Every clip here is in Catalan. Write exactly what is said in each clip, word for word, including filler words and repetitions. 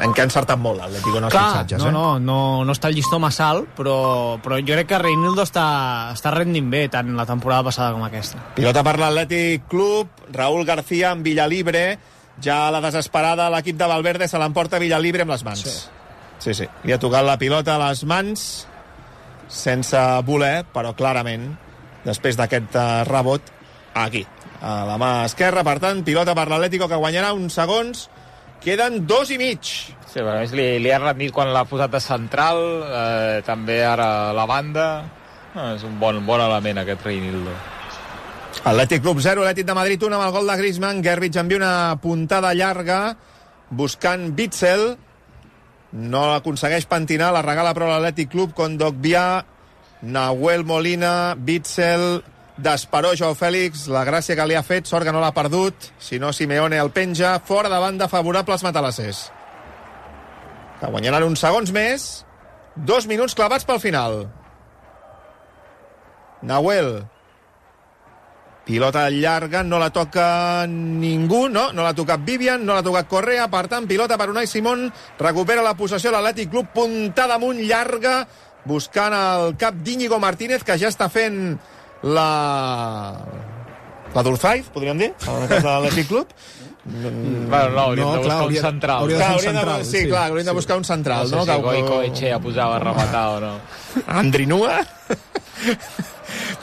en què ha encertat molt l'Atlético en els Clar, fitxatges, no, eh? no, no, no està el llistó massa alt, però, però jo crec que Reinildo està, està rendint bé, tant la temporada passada com aquesta. Pilota per l'Atlètic Club, Raúl García amb Villalibre, ja a la desesperada l'equip de Valverde se l'emporta Villalibre amb les mans. Sí. sí, sí, li ha tocat la pilota a les mans sense voler, però clarament després d'aquest uh, rebot aquí, a la mà esquerra. Per tant, pilota per l'Atlético, que guanyarà uns segons. Queden dos i mig. Sí, a més li, li ha rendit quan l'ha posat de central, eh, també ara la banda. Eh, és un bon, bon element aquest Reinildo. Atlètic Club zero, Atlètic de Madrid un amb el gol de Griezmann. Gervich envia una puntada llarga buscant Witzel, no l'aconsegueix pentinar, la regala però l'Atlètic Club. Kondogbia, Nahuel Molina, Witzel, d'Esperó, Joao Fèlix, la gràcia que li ha fet, sort que no l'ha perdut, si no Simeone el penja, fora de banda favorable als matalassers, que guanyaran uns segons més. Dos minuts clavats pel final. Nahuel, pilota llarga, no la toca ningú, no, no l'ha tocat Vivian, no l'ha tocat Correa, per tant, pilota per Unai Simón, recupera la possessió l'Atlètic Club, puntada amunt llarga, buscant el cap d'Íñigo Martínez, que ja està fent la... la Durzaiz, podríem dir, en el cas de l'Atlètic Club. Mm, bueno, no, hauríem no, de buscar clar, un central. Hauria, clar, hauríem de, sí, sí, clar, hauríem sí. de buscar un central. No sé no? si Goico Echea posava a rematar o no. Andrinua.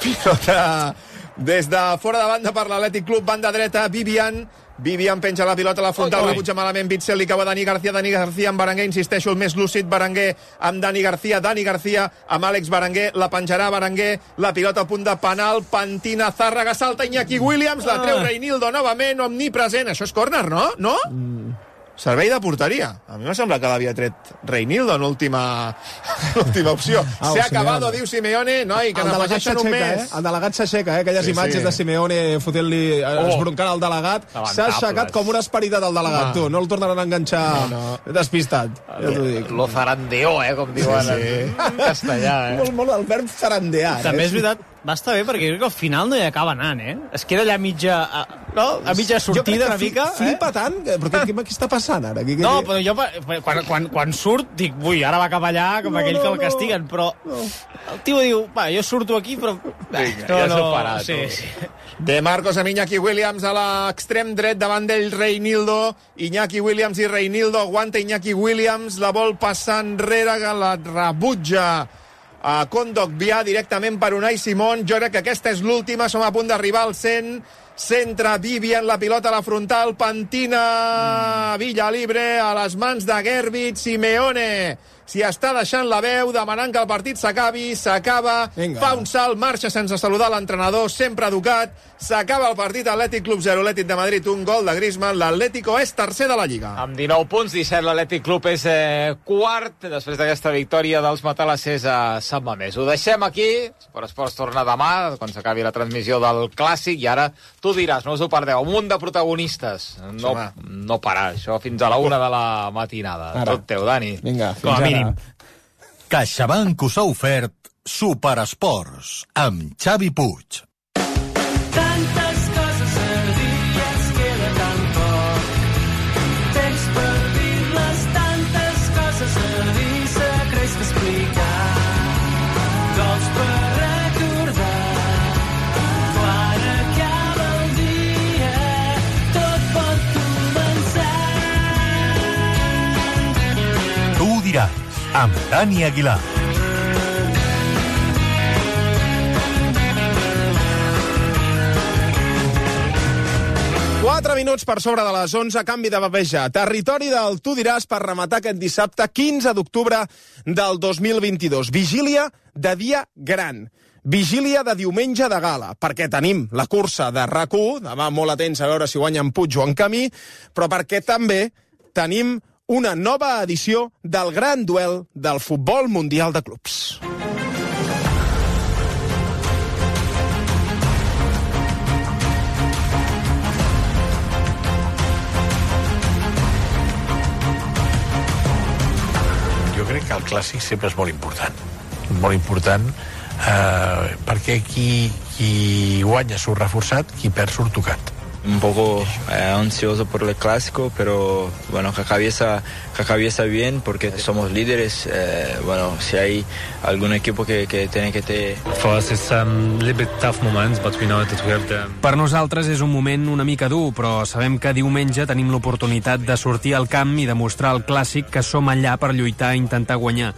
Pilota des de fora de banda per l'Atlètic Club, banda dreta, Vivian. Vivian penja la pilota a la frontal, rebutja malament Witzel, li acaba Dani García, Dani García amb Berenguer, insisteixo, el més lúcid Berenguer amb Dani García, Dani García amb Àlex Berenguer, la penjarà Berenguer, la pilota a punt de penal, pentina Zárraga, salta Iñaki Williams, la treu Reinildo novament, omnipresent, això és córner, no? No? Mm. Servei de porteria. A mi m'ha semblat que l'havia tret Reinildo en l'última opció. Ah, Se ha acabado, diu Simeone, noi, que n'afegeixen un mes. Eh? El delegat s'aixeca, eh? Aquelles sí, imatges sí. de Simeone fotent-li, oh. esbroncant al delegat. S'ha aixecat com una esperitat al delegat, ah. tu. No el tornaran a enganxar no, no. despistat. Ja t'ho dic. Lo zarandeó, eh, com diuen sí, sí. en castellà. Eh? Molt, molt el verb zarandear. També eh? és veritat, va estar bé perquè crec que al final no hi acaba anant, eh? Es queda allà mitja, no? a mitja sortida una mica. Flipa eh? tant, perquè què, què està passant ara? Aquí, no, però jo quan, quan, quan surt dic, ui, ara va cap allà com no, aquell que el castiguen, però no. el tio diu, va, jo surto aquí, però... Vinga, no, ja s'ho farà, sí, sí. De Marcos amb Iñaki Williams a l'extrem dret, davant d'ell Reinildo, Iñaki Williams i Reinildo, aguanta Iñaki Williams, la vol passar enrere, que la rebutja a Kondogbia directament per Unai Simón. Jo crec que aquesta és l'última, som a punt d'arribar al cent. Centra Vivian, la pilota a la frontal, pentina Villalibre a les mans de Gervich. Simeone s'hi està deixant la veu, demanant que el partit s'acabi, s'acaba, fa un salt, marxa sense saludar l'entrenador, sempre educat, s'acaba el partit. Atlètic Club zero, Atlètic de Madrid un gol de Griezmann, l'Atlético és tercer de la Lliga. Amb dinou punts, disset l'Atlètic Club és eh, quart, després d'aquesta victòria dels matalassers a Sant Mamés. Ho deixem aquí, Esport Esports torna demà, quan s'acabi la transmissió del Clàssic, i ara tu diràs, no us ho perdeu, un munt de protagonistes, no, no parar, això fins a la una de la matinada. Ara. Tot teu, Dani. Vinga, fins ara. CaixaBank us ha ofert Superesports amb Xavi Puig. Tantes coses a dir, es queda tan poc temps per dir-les, tantes coses a dir, secrets que explicar, gols per recordar, quan acaba el dia tot pot començar. Tu ho diràs, amb Dani Aguilar. Quatre minuts per sobre de les onze, canvi de papeja. Territori del Tu diràs per rematar aquest dissabte quinze d'octubre del dos mil vint-i-dos. Vigília de dia gran. Vigília de diumenge de gala, perquè tenim la cursa de RAC u, demà molt atents a veure si guanyen Puig o en Camí, però perquè també tenim una nova edició del gran duel del futbol mundial de clubs. Jo crec que el clàssic sempre és molt important. Molt important eh, perquè qui, qui guanya surt reforçat, qui perd surt tocat. Un poco eh, ansioso por el clásico, pero bueno, que cabeza, que cabeza bien porque somos líderes. Eh, bueno, si hay algún equipo que, que tiene que te... For us it's um, a little bit tough moments, but we know that we have the... Per nosaltres és un moment una mica dur, però sabem que diumenge tenim l'oportunitat de sortir al camp i demostrar al clàssic que som allà per lluitar i intentar guanyar.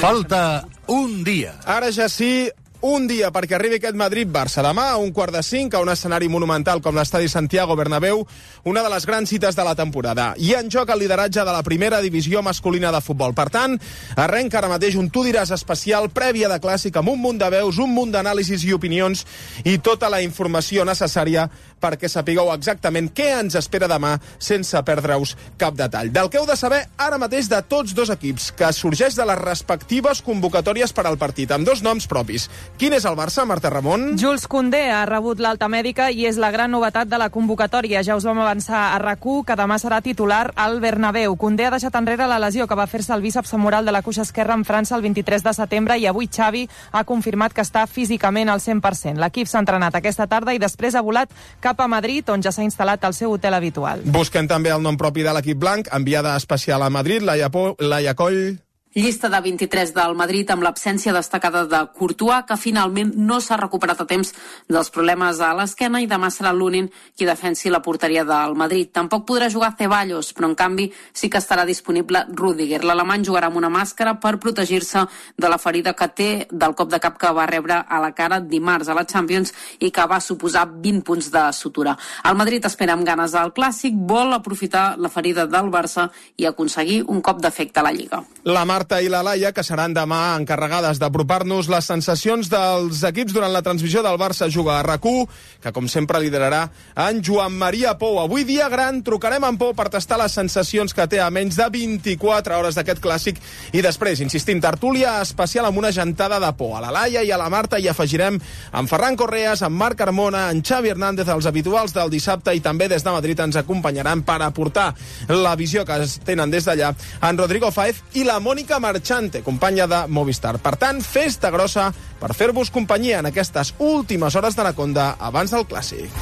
Falta un dia. Ara ja sí, un dia perquè arribi aquest Madrid-Barça. Demà a un quart de cinc, a un escenari monumental com l'estadi Santiago Bernabéu, una de les grans cites de la temporada. I en joc el lideratge de la primera divisió masculina de futbol. Per tant, arrenca ara mateix un Tu diràs especial, prèvia de clàssic, amb un munt de veus, un munt d'anàlisis i opinions i tota la informació necessària perquè sapigueu exactament què ens espera demà sense perdre-us cap detall. Del que heu de saber ara mateix de tots dos equips, que sorgeix de les respectives convocatòries per al partit, amb dos noms propis. Quin és el Barça, Marta Ramon? Jules Koundé ha rebut l'alta mèdica i és la gran novetat de la convocatòria. Ja us vam avançar a RAC u que demà serà titular al Bernabéu. Koundé ha deixat enrere la lesió que va fer-se el bíceps femoral de la cuixa esquerra en França el vint-i-tres de setembre i avui Xavi ha confirmat que està físicament al cent per cent. L'equip s'ha entrenat aquesta tarda i després ha volat cap a Madrid, on ja s'ha instal·lat al seu hotel habitual. Busquem també el nom propi de l'equip blanc, enviada especial a Madrid, Laia, po Laia Coll. Llista de vint-i-tres del Madrid amb l'absència destacada de Courtois, que finalment no s'ha recuperat a temps dels problemes a l'esquena i demà serà l'únic qui defensi la porteria del Madrid. Tampoc podrà jugar Ceballos, però en canvi sí que estarà disponible Rüdiger. L'alemany jugarà amb una màscara per protegir-se de la ferida que té del cop de cap que va rebre a la cara dimarts a la Champions i que va suposar vint punts de sutura. El Madrid espera amb ganes al Clàssic, vol aprofitar la ferida del Barça i aconseguir un cop d'efecte a la Lliga. La Marta i la Laia, que seran demà encarregades d'apropar-nos les sensacions dels equips durant la transmissió del Barça Juga a RAC u, que com sempre liderarà en Joan Maria Pou. Avui dia gran, trucarem en Pou per tastar les sensacions que té a menys de vint-i-quatre hores d'aquest clàssic i després, insistim, tertúlia especial amb una gentada de Pou. A la Laia i a la Marta hi afegirem en Ferran Correas, en Marc Carmona, en Xavi Hernández, els habituals del dissabte, i també des de Madrid ens acompanyaran per aportar la visió que es tenen des d'allà en Rodrigo Fáez i la Mònica Marchante, companya de Movistar. Per tant, festa grossa per fer-vos companyia en aquestes últimes hores d'Anaconda abans del Clàssic.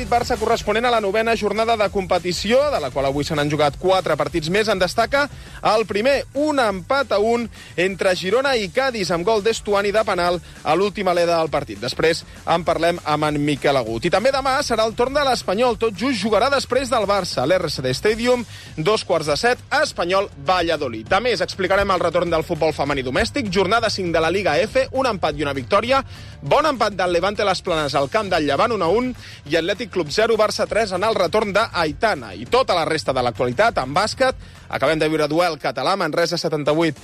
Barça corresponent a la novena jornada de competició, de la qual avui se n'han jugat quatre partits més. En destaca el primer, un empat a un entre Girona i Cádiz, amb gol d'Estuani de penal a l'última aleda del partit. Després en parlem amb en Miquel Agut. I també demà serà el torn de l'Espanyol. Tot just jugarà després del Barça. L'R C D Stadium, dos quarts de set, Espanyol Valladolid. A més, explicarem el retorn del futbol femení domèstic, jornada cinc de la Liga F, un empat i una victòria, bon empat del Levante Les Planes al camp del Llevant, un a un, i Atlètic Club zero, Barça tres en el retorn d'Aitana. I tota la resta de l'actualitat en bàsquet. Acabem de viure duel català, Manresa setanta-vuit,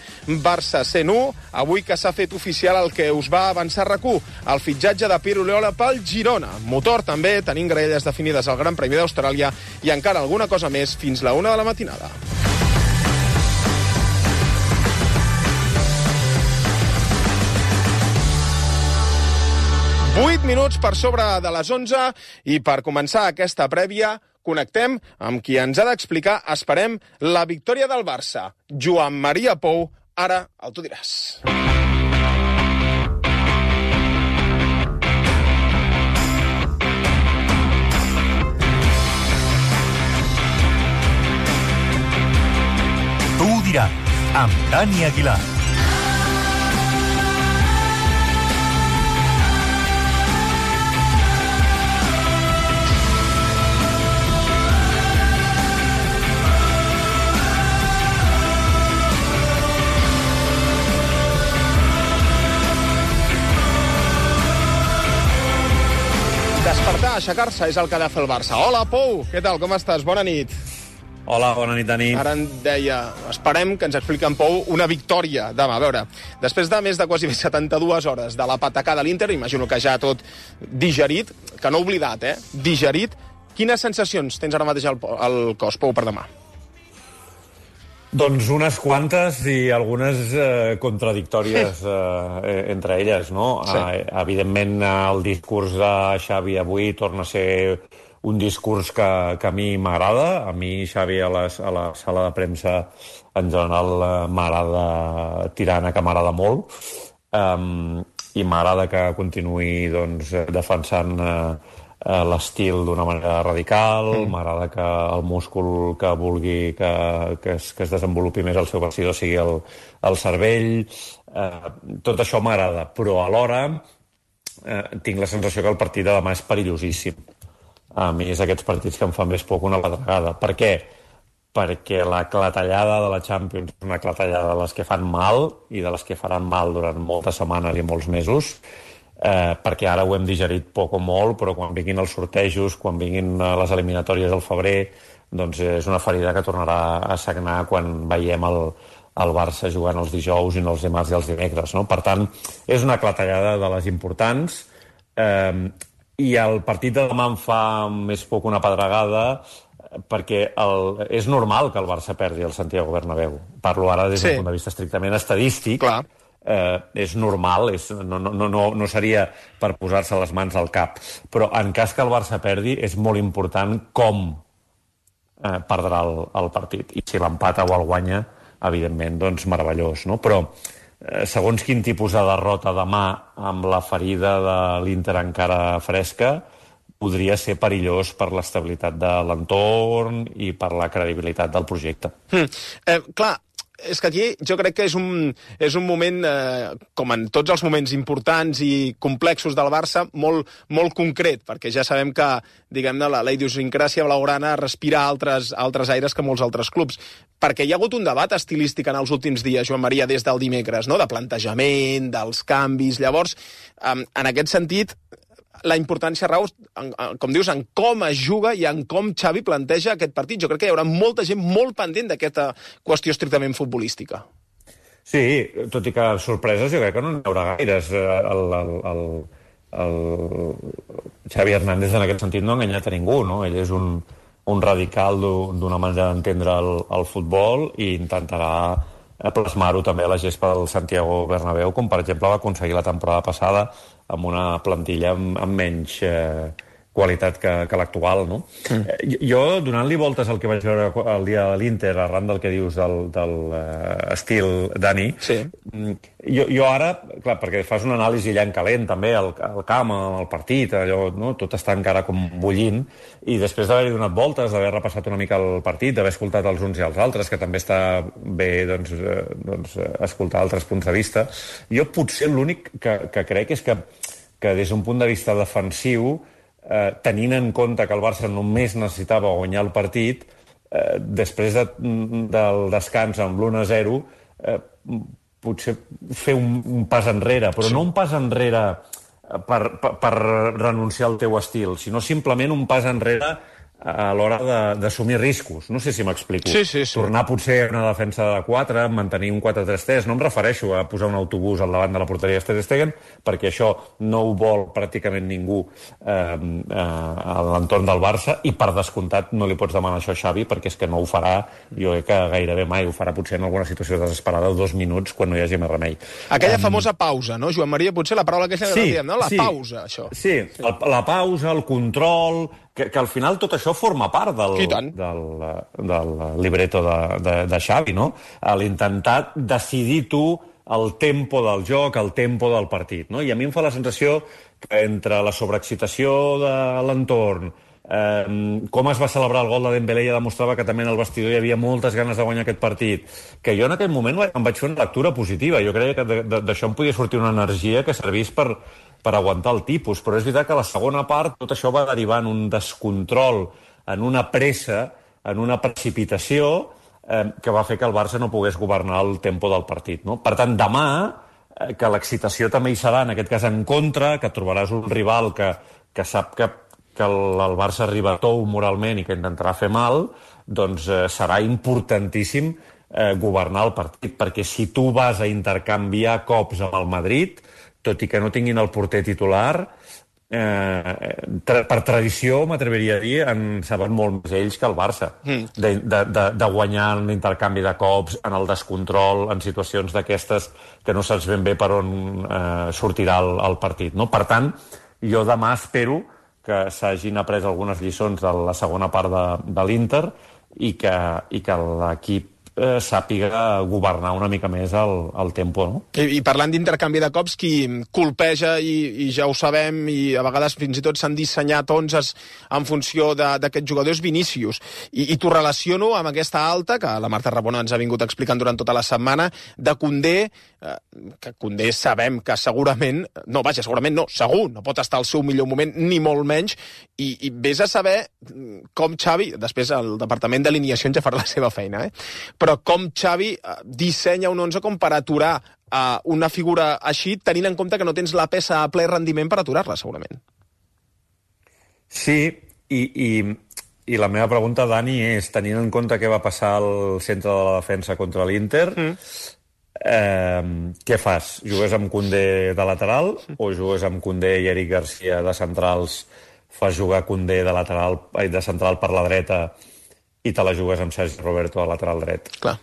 Barça cent u. Avui que s'ha fet oficial el que us va avançar RAC u, el fitxatge de Piero Leola pel Girona. Motor també, tenim graelles definides al Gran Premi d'Austràlia i encara alguna cosa més fins la una de la matinada. vuit minuts per sobre de les onze i per començar aquesta prèvia connectem amb qui ens ha d'explicar, esperem, la victòria del Barça. Joan Maria Pou, ara el Tu diràs. Tu diràs, amb Dani Aguilar. Despertar, aixecar-se, és el que ha de fer el Barça. Hola, Pou, què tal, com estàs? Bona nit. Hola, bona nit, Dani. Ara em deia, esperem que ens expliqui en Pou una victòria demà. A veure, després de més de quasi setanta-dues hores de la patacada a l'Inter, imagino que ja tot digerit, que no oblidat, eh? Digerit. Quines sensacions tens ara mateix al, al cos, Pou, per demà? Doncs unes quantes i algunes eh, contradictòries eh, entre elles, no? Sí. Eh, evidentment, el discurs de Xavi avui torna a ser un discurs que, que a mi m'agrada. A mi, Xavi, a, les, a la sala de premsa, en general, eh, m'agrada tirant a que m'agrada molt. Um, I m'agrada que continuï doncs, defensant eh, l'estil d'una manera radical, mm. m'agrada que el múscul que vulgui que, que, es, que es desenvolupi més al seu vestidor sigui el, el cervell. Eh, tot això m'agrada, però alhora eh, tinc la sensació que el partit de demà és perillosíssim. A mi és aquests partits que em fan més poc una pedregada. Per què? Perquè la clatellada de la Champions és una clatellada de les que fan mal i de les que faran mal durant moltes setmanes i molts mesos. Eh, perquè ara ho hem digerit poc o molt, però quan vinguin els sortejos, quan vinguin les eliminatòries al febrer, doncs és una ferida que tornarà a sagnar quan veiem el, el Barça jugant els dijous i no els dimarts i els dimecres, no? Per tant, és una clatellada de les importants, eh, i el partit de demà em fa més poc una pedregada, perquè el, és normal que el Barça perdi el Santiago Bernabéu. Parlo ara des d'un sí. punt de vista estrictament estadístic. Clar. Eh, és normal, és, no, no, no, no seria per posar-se les mans al cap, però en cas que el Barça perdi és molt important com eh, perdrà el, el partit, i si l'empata o el guanya, evidentment, doncs meravellós, no? Però eh, segons quin tipus de derrota demà amb la ferida de l'Inter encara fresca, podria ser perillós per l'estabilitat de l'entorn i per la credibilitat del projecte. Mm. Eh, clar, és que aquí jo crec que és un, és un moment, eh, com en tots els moments importants i complexos del Barça, molt, molt concret, perquè ja sabem que, diguem-ne, la, la idiosincràsia blaugrana respira altres, altres aires que molts altres clubs. Perquè hi ha hagut un debat estilístic en els últims dies, Joan Maria, des del dimecres, no?, de plantejament, dels canvis. Llavors, eh, en aquest sentit, la importància rau, com dius, en com es juga i en com Xavi planteja aquest partit. Jo crec que hi haurà molta gent molt pendent d'aquesta qüestió estrictament futbolística. Sí, tot i que sorpreses jo crec que no n'hi haurà gaires. El, el, el, el Xavi Hernández en aquest sentit no ha enganyat a ningú, no? Ell és un, un radical d'una manera d'entendre el, el futbol i intentarà plasmar-ho també a la gespa del Santiago Bernabéu, com per exemple va aconseguir la temporada passada amb una plantilla amb, amb menys eh, qualitat que, que l'actual, no? Mm. Eh, jo, donant-li voltes al que vaig veure el dia de l'Inter, arran del que dius del, del uh, estil Dani, sí. jo, jo ara, clar, perquè fas una anàlisi allà en calent, també, al, al camp, al partit, allò, no? Tot està encara com bullint, i després d'haver-hi donat voltes, d'haver repassat una mica el partit, d'haver escoltat els uns i els altres, que també està bé, doncs, eh, doncs escoltar altres punts de vista, jo potser l'únic que, que crec és que, que des d'un punt de vista defensiu, Eh, tenint en compte que el Barça només necessitava guanyar el partit, eh, després de, del descans amb l'u a zero, eh, potser fer un, un pas enrere, però sí. no un pas enrere per, per, per renunciar al teu estil, sinó simplement un pas enrere a l'hora d'assumir riscos. No sé si m'explico. Sí, sí, sí. Tornar potser a una defensa de quatre, mantenir un quatre tres tres, no em refereixo a posar un autobús al davant de la porteria de Ter Stegen, perquè això no ho vol pràcticament ningú eh, eh, a l'entorn del Barça, i per descomptat no li pots demanar això a Xavi, perquè és que no ho farà, jo crec que gairebé mai ho farà, potser en alguna situació desesperada, dos minuts, quan no hi hagi més remei. Aquella um... famosa pausa, no, Joan Maria? Potser la paraula que ja sí, diem, no? La sí, pausa, això. Sí, el, la pausa, el control... Que, que al final tot això forma part del, del, del libreto de, de, de Xavi, no? L'intentar decidir tu el tempo del joc, el tempo del partit, no? I a mi em fa la sensació que entre la sobreexcitació de l'entorn, eh, com es va celebrar el gol de Dembélé, ja demostrava que també en el vestidor hi havia moltes ganes de guanyar aquest partit, que jo en aquell moment em vaig fer una lectura positiva. Jo creia que d'això em podia sortir una energia que servís per... per aguantar el tipus, però és veritat que a la segona part tot això va derivar en un descontrol, en una pressa, en una precipitació eh, que va fer que el Barça no pogués governar el tempo del partit, no? Per tant, demà, eh, que l'excitació també hi serà, en aquest cas en contra, que trobaràs un rival que, que sap que, que el, el Barça arriba tou moralment i que intentarà fer mal, doncs eh, serà importantíssim eh, governar el partit, perquè si tu vas a intercanviar cops amb el Madrid, tot i que no tinguin el porter titular, eh, tra per tradició, m'atreviria a dir, en saben molt més ells que el Barça. Mm. De, de, de, de guanyar en l'intercanvi de cops, en el descontrol, en situacions d'aquestes que no saps ben bé per on eh, sortirà el, el partit. No? Per tant, jo demà espero que s'hagin après algunes lliçons de la segona part de, de l'Inter i que, i que l'equip Eh, sàpiga governar una mica més el, el tempo, no? I, i parlant d'intercanvi de cops, qui colpeja, i, i ja ho sabem, i a vegades fins i tot s'han dissenyat onzes en funció d'aquest jugador, és Vinícius. I, i t'ho relaciono amb aquesta alta, que la Marta Rabona ens ha vingut explicant durant tota la setmana, de Koundé, eh, que Koundé sabem que segurament, no, vaja, segurament no, segur, no pot estar al seu millor moment, ni molt menys, i, i vés a saber com Xavi, després el departament d'alineacions ja farà la seva feina, eh? Però com Xavi dissenya un onze com per aturar uh, una figura així, tenint en compte que no tens la peça a ple rendiment per aturar-la, segurament. Sí, i, i, i la meva pregunta, Dani, és, tenint en compte què va passar al centre de la defensa contra l'Inter, mm. eh, què fas? Jugues amb Koundé de lateral mm. o jugues amb Koundé i Eric Garcia de centrals, fas jugar Koundé de, lateral, de central per la dreta i te la jugues amb Sergi Roberto a lateral dret. Clar.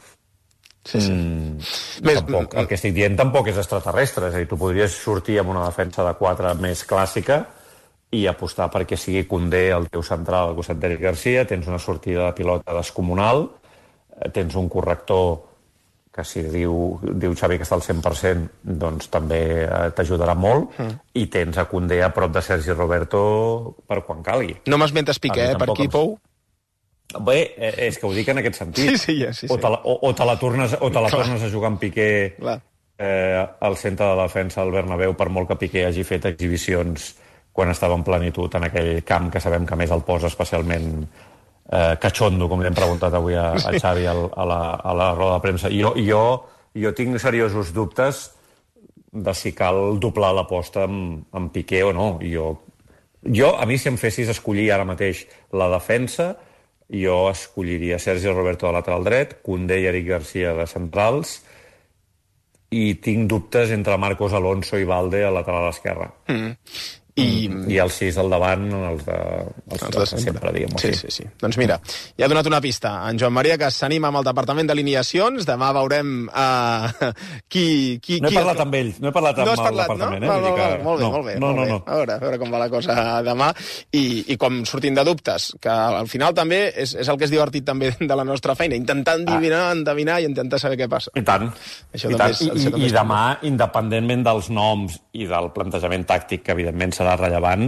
Sí, sí. Mm, Més, tampoc, el que estic dient tampoc és extraterrestre. És a dir, tu podries sortir amb una defensa de quatre més clàssica i apostar perquè sigui Koundé el teu central al costat d'Eric Garcia, tens una sortida de pilota descomunal, tens un corrector que si diu, diu Xavi que està al cent per cent, doncs també t'ajudarà molt, mm. i tens a Koundé a prop de Sergi Roberto per quan calgui. No m'esmentes Piqué, eh, per aquí, Pou? Bé, és que ho dic en aquest sentit. Sí, sí, sí, sí. O te la, o, o te la tornes, o te la tornes a jugar amb Piqué eh, al centre de la defensa del Bernabéu, per molt que Piqué hagi fet exhibicions quan estava en plenitud en aquell camp que sabem que més el posa especialment eh, cachondo, com li hem preguntat avui a, a Xavi a, a, la, a la roda de premsa. Jo, jo, jo tinc seriosos dubtes de si cal doblar l'aposta amb, amb Piqué o no. Jo, jo, a mi, si em fessis escollir ara mateix la defensa, jo escolliria Sergi Roberto de lateral dret, Koundé i Eric Garcia de centrals, i tinc dubtes entre Marcos Alonso i Valde a lateral esquerra. Mm. I, I els sis al davant, els de, els els de sempre, sempre diguem-ho sí, així. Sí, sí. Doncs mira, ja ha donat una pista. En Joan Maria, que s'anima amb el Departament d'Alineacions. Demà veurem uh, qui... qui no he qui parlat el... amb ells, no he parlat amb no el parlat, Departament. No? Eh? Val, val, que... molt bé, no, molt bé. No, molt no, bé. no. A veure, a veure com va la cosa demà. I, i com sortim de dubtes, que al final també és, és el que és divertit també de la nostra feina, intentar endevinar, ah. endevinar i intentar saber què passa. I tant. Això I, també tant. És, I, i, i demà, independentment dels noms i del plantejament tàctic, que evidentment serà rellevant,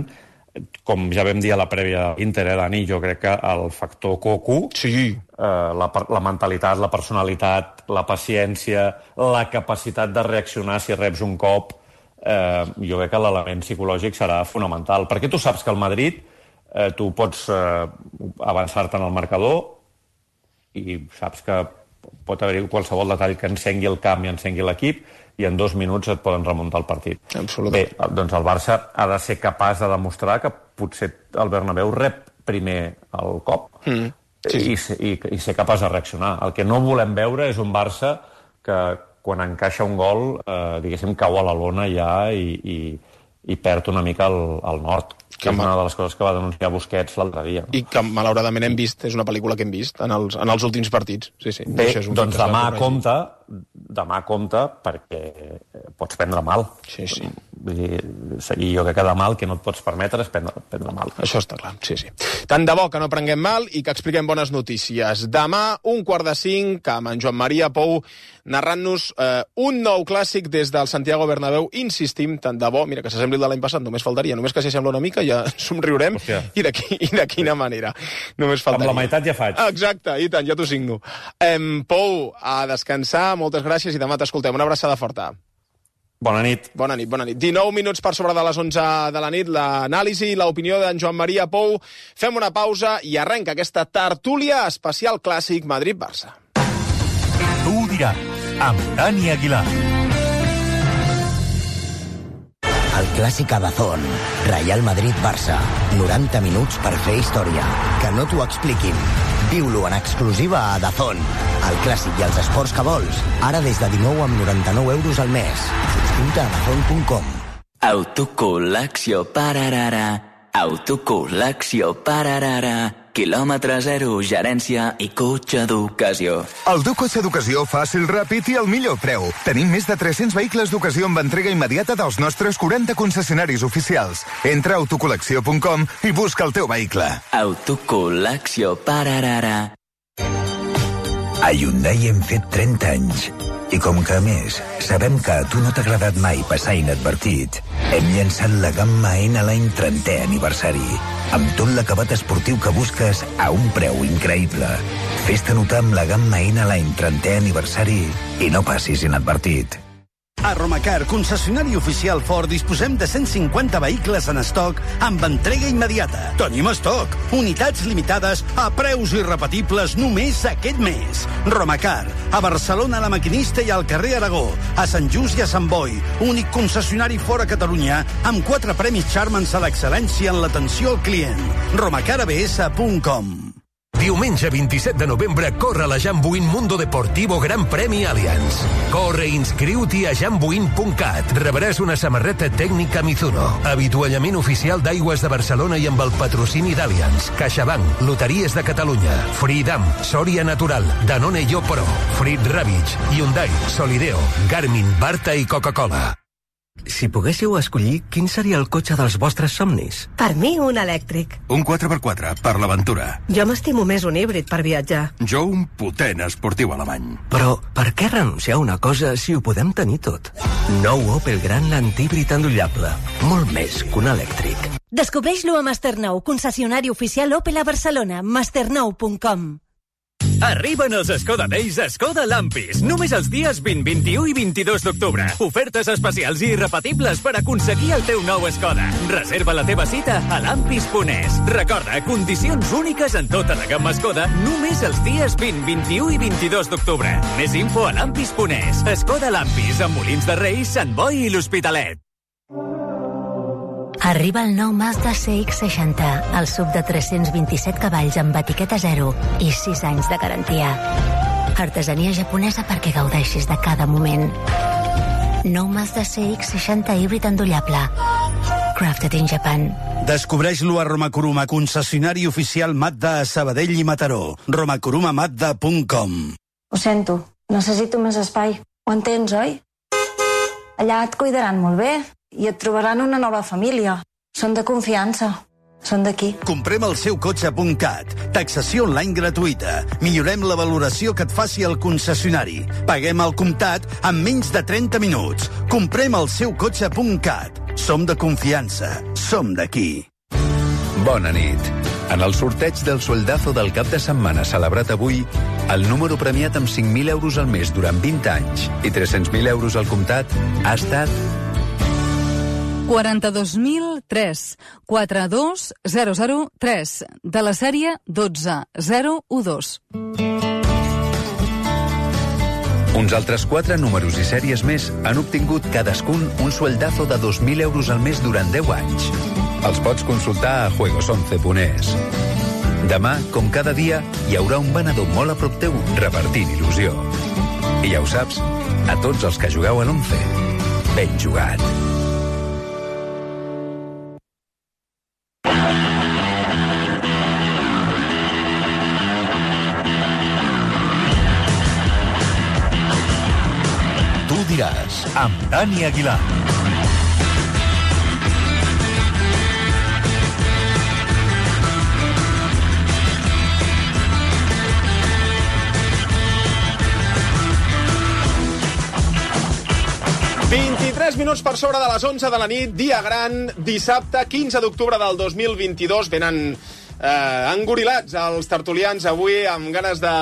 com ja vam dir a la prèvia Inter, eh, Dani, jo crec que el factor Cocu, sí. eh, la, la mentalitat, la personalitat, la paciència, la capacitat de reaccionar si reps un cop, eh, jo crec que l'element psicològic serà fonamental. Perquè tu saps que el Madrid, eh, tu pots eh, avançar-te en el marcador i saps que pot haver-hi qualsevol detall que encengui el camp i encengui l'equip, i en dos minuts et poden remuntar el partit. Absolutament. Bé, doncs el Barça ha de ser capaç de demostrar que potser el Bernabéu rep primer el cop mm, sí. i, i, i ser capaç de reaccionar. El que no volem veure és un Barça que quan encaixa un gol, eh, diguéssim, cau a la lona ja i, i, i perd una mica el, el nord, que és una de les coses que va denunciar Busquets l'altre dia. I que malauradament hem vist, és una pel·lícula que hem vist en els, en els últims partits. Sí, sí. Bé, doncs demà compta, demà compta perquè pots prendre mal. Sí, sí. Vull dir, i jo crec que demà el que no et pots permetre és prendre, prendre mal. Això està clar, sí, sí. Tant de bo que no prenguem mal i que expliquem bones notícies. Demà, un quart de cinc, amb en Joan Maria Pou narrant-nos eh, un nou clàssic des del Santiago Bernabéu. Insistim, tant de bo, mira, que s'assembli el de l'any passat, només faltaria, només que s'hi sembla una mica ja somriurem. Hòstia. I de, qui, i de quina manera. Només faltaria. Amb la meitat ja faig. Exacte, i tant, ja t'ho signo. Em, Pou, a descansar, moltes gràcies i demà t'escoltem. Una abraçada forta. Bona nit. Bona nit, bona nit. dinou minuts per sobre de les onze de la nit, l'anàlisi i l'opinió d'en Joan Maria Pou. Fem una pausa i arrenca aquesta tertúlia especial clàssic Madrid-Barça. Tu ho diràs, amb Dani Aguilar. El clàssic a Dazón. Real Madrid-Barça. noranta minuts per fer història. Que no t'ho expliquin. Viu-lo en exclusiva a Dazón. El clàssic i els esports que vols. Ara des de dinou amb noranta-nou euros al mes. Subscriu-te a dazón punt com. Autocol·lecció pararara, autocol·lecció pararara. Quilòmetre zero, gerència i cotxe d'ocasió. El teu cotxe d'ocasió fàcil, ràpid i al millor preu. Tenim més de tres-cents vehicles d'ocasió amb entrega immediata dels nostres quaranta concessionaris oficials. Entra a autocol·lecció punt com i busca el teu vehicle. Autocol·lecció pararara. A Hyundai hem fet trenta anys. I com que, a més, sabem que a tu no t'ha agradat mai passar inadvertit, hem llançat la gamma N-Line trentè aniversari, amb tot l'acabat esportiu que busques a un preu increïble. Fes-te notar amb la gamma N-Line trentè aniversari i no passis inadvertit. A Romacar, concessionari oficial Ford, disposem de cent cinquanta vehicles en estoc amb entrega immediata. Tenim estoc, unitats limitades a preus irrepetibles només aquest mes. Romacar, a Barcelona, a La Maquinista i al carrer Aragó, a Sant Just i a Sant Boi, únic concessionari fora Catalunya amb quatre premis Charmans a l'excel·lència en l'atenció al client. romacar a b s punt com. Diumenge vint-i-set de novembre corre la Jambuin Mundo Deportivo Gran Premi Allianz. Corre i inscriu-t'hi a jambuin punt cat. Rebràs una samarreta tècnica Mizuno, avituallament oficial d'Aigües de Barcelona i amb el patrocini d'Allianz, CaixaBank, Loteries de Catalunya, Freedom, Soria Natural, Danone Yo Pro, Frit Ravitch, Hyundai, Solideo, Garmin, Barta i Coca-Cola. Si poguéssiu escollir, quin seria el cotxe dels vostres somnis? Per mi, un elèctric. Un quatre per quatre, per l'aventura. Jo m'estimo més un híbrid per viatjar. Jo un potent esportiu alemany. Però per què renunciar a una cosa si ho podem tenir tot? Nou Opel Grandland híbrid endollable. Molt més que un elèctric. Descobreix-lo a Masternou, concessionari oficial Opel a Barcelona. masternou punt com. Arriben els Skoda Days a Skoda Lampis. Només els dies vint, vint-i-u i vint-i-dos d'octubre. Ofertes especials i irrepetibles per aconseguir el teu nou Skoda. Reserva la teva cita a lampis punt es. Recorda, condicions úniques en tota la gamma Skoda només els dies vint, vint-i-u i vint-i-dos d'octubre. Més info a lampis punt es. Skoda Lampis, amb Molins de Rei, Sant Boi i l'Hospitalet. Arriba el nou Mazda C X seixanta, el sub de tres-cents vint-i-set cavalls amb etiqueta zero i sis anys de garantia. Artesania japonesa perquè gaudeixis de cada moment. Nou Mazda C X seixanta híbrid endollable. Crafted in Japan. Descobreix-lo a Romakuruma, concessionari oficial Mazda a Sabadell i Mataró. romakuruma mazda punt com. Ho sento, necessito més espai. Ho entens, oi? Allà et cuidaran molt bé i et trobaran una nova família. Són de confiança. Són d'aquí. Comprem el seu cotxe punt cat. Taxació online gratuïta. Millorem la valoració que et faci el concessionari. Paguem al comptat en menys de trenta minuts. Comprem el seu cotxe punt cat. Som de confiança. Som d'aquí. Bona nit. En el sorteig del sueldazo del cap de setmana celebrat avui, el número premiat amb cinc mil euros al mes durant vint anys i tres-cents mil euros al comptat ha estat quaranta-dos mil tres, quatre dos zero zero tres, de la sèrie dotze zero u dos. Uns altres quatre números i sèries més han obtingut cadascun un sueldazo de dos mil euros al mes durant deu anys. Els pots consultar a juegos once punt es. Demà, com cada dia, hi haurà un venedor molt a prop teu repartint il·lusió. I ja ho saps, a tots els que jugueu a l'once, ben jugat. Tu diràs, amb Dani Aguilar. vint-i-tres minuts per sobre de les onze de la nit, dia gran, dissabte, quinze d'octubre del dos mil vint-i-dos. Venen eh, engorilats els tertulians avui amb ganes de,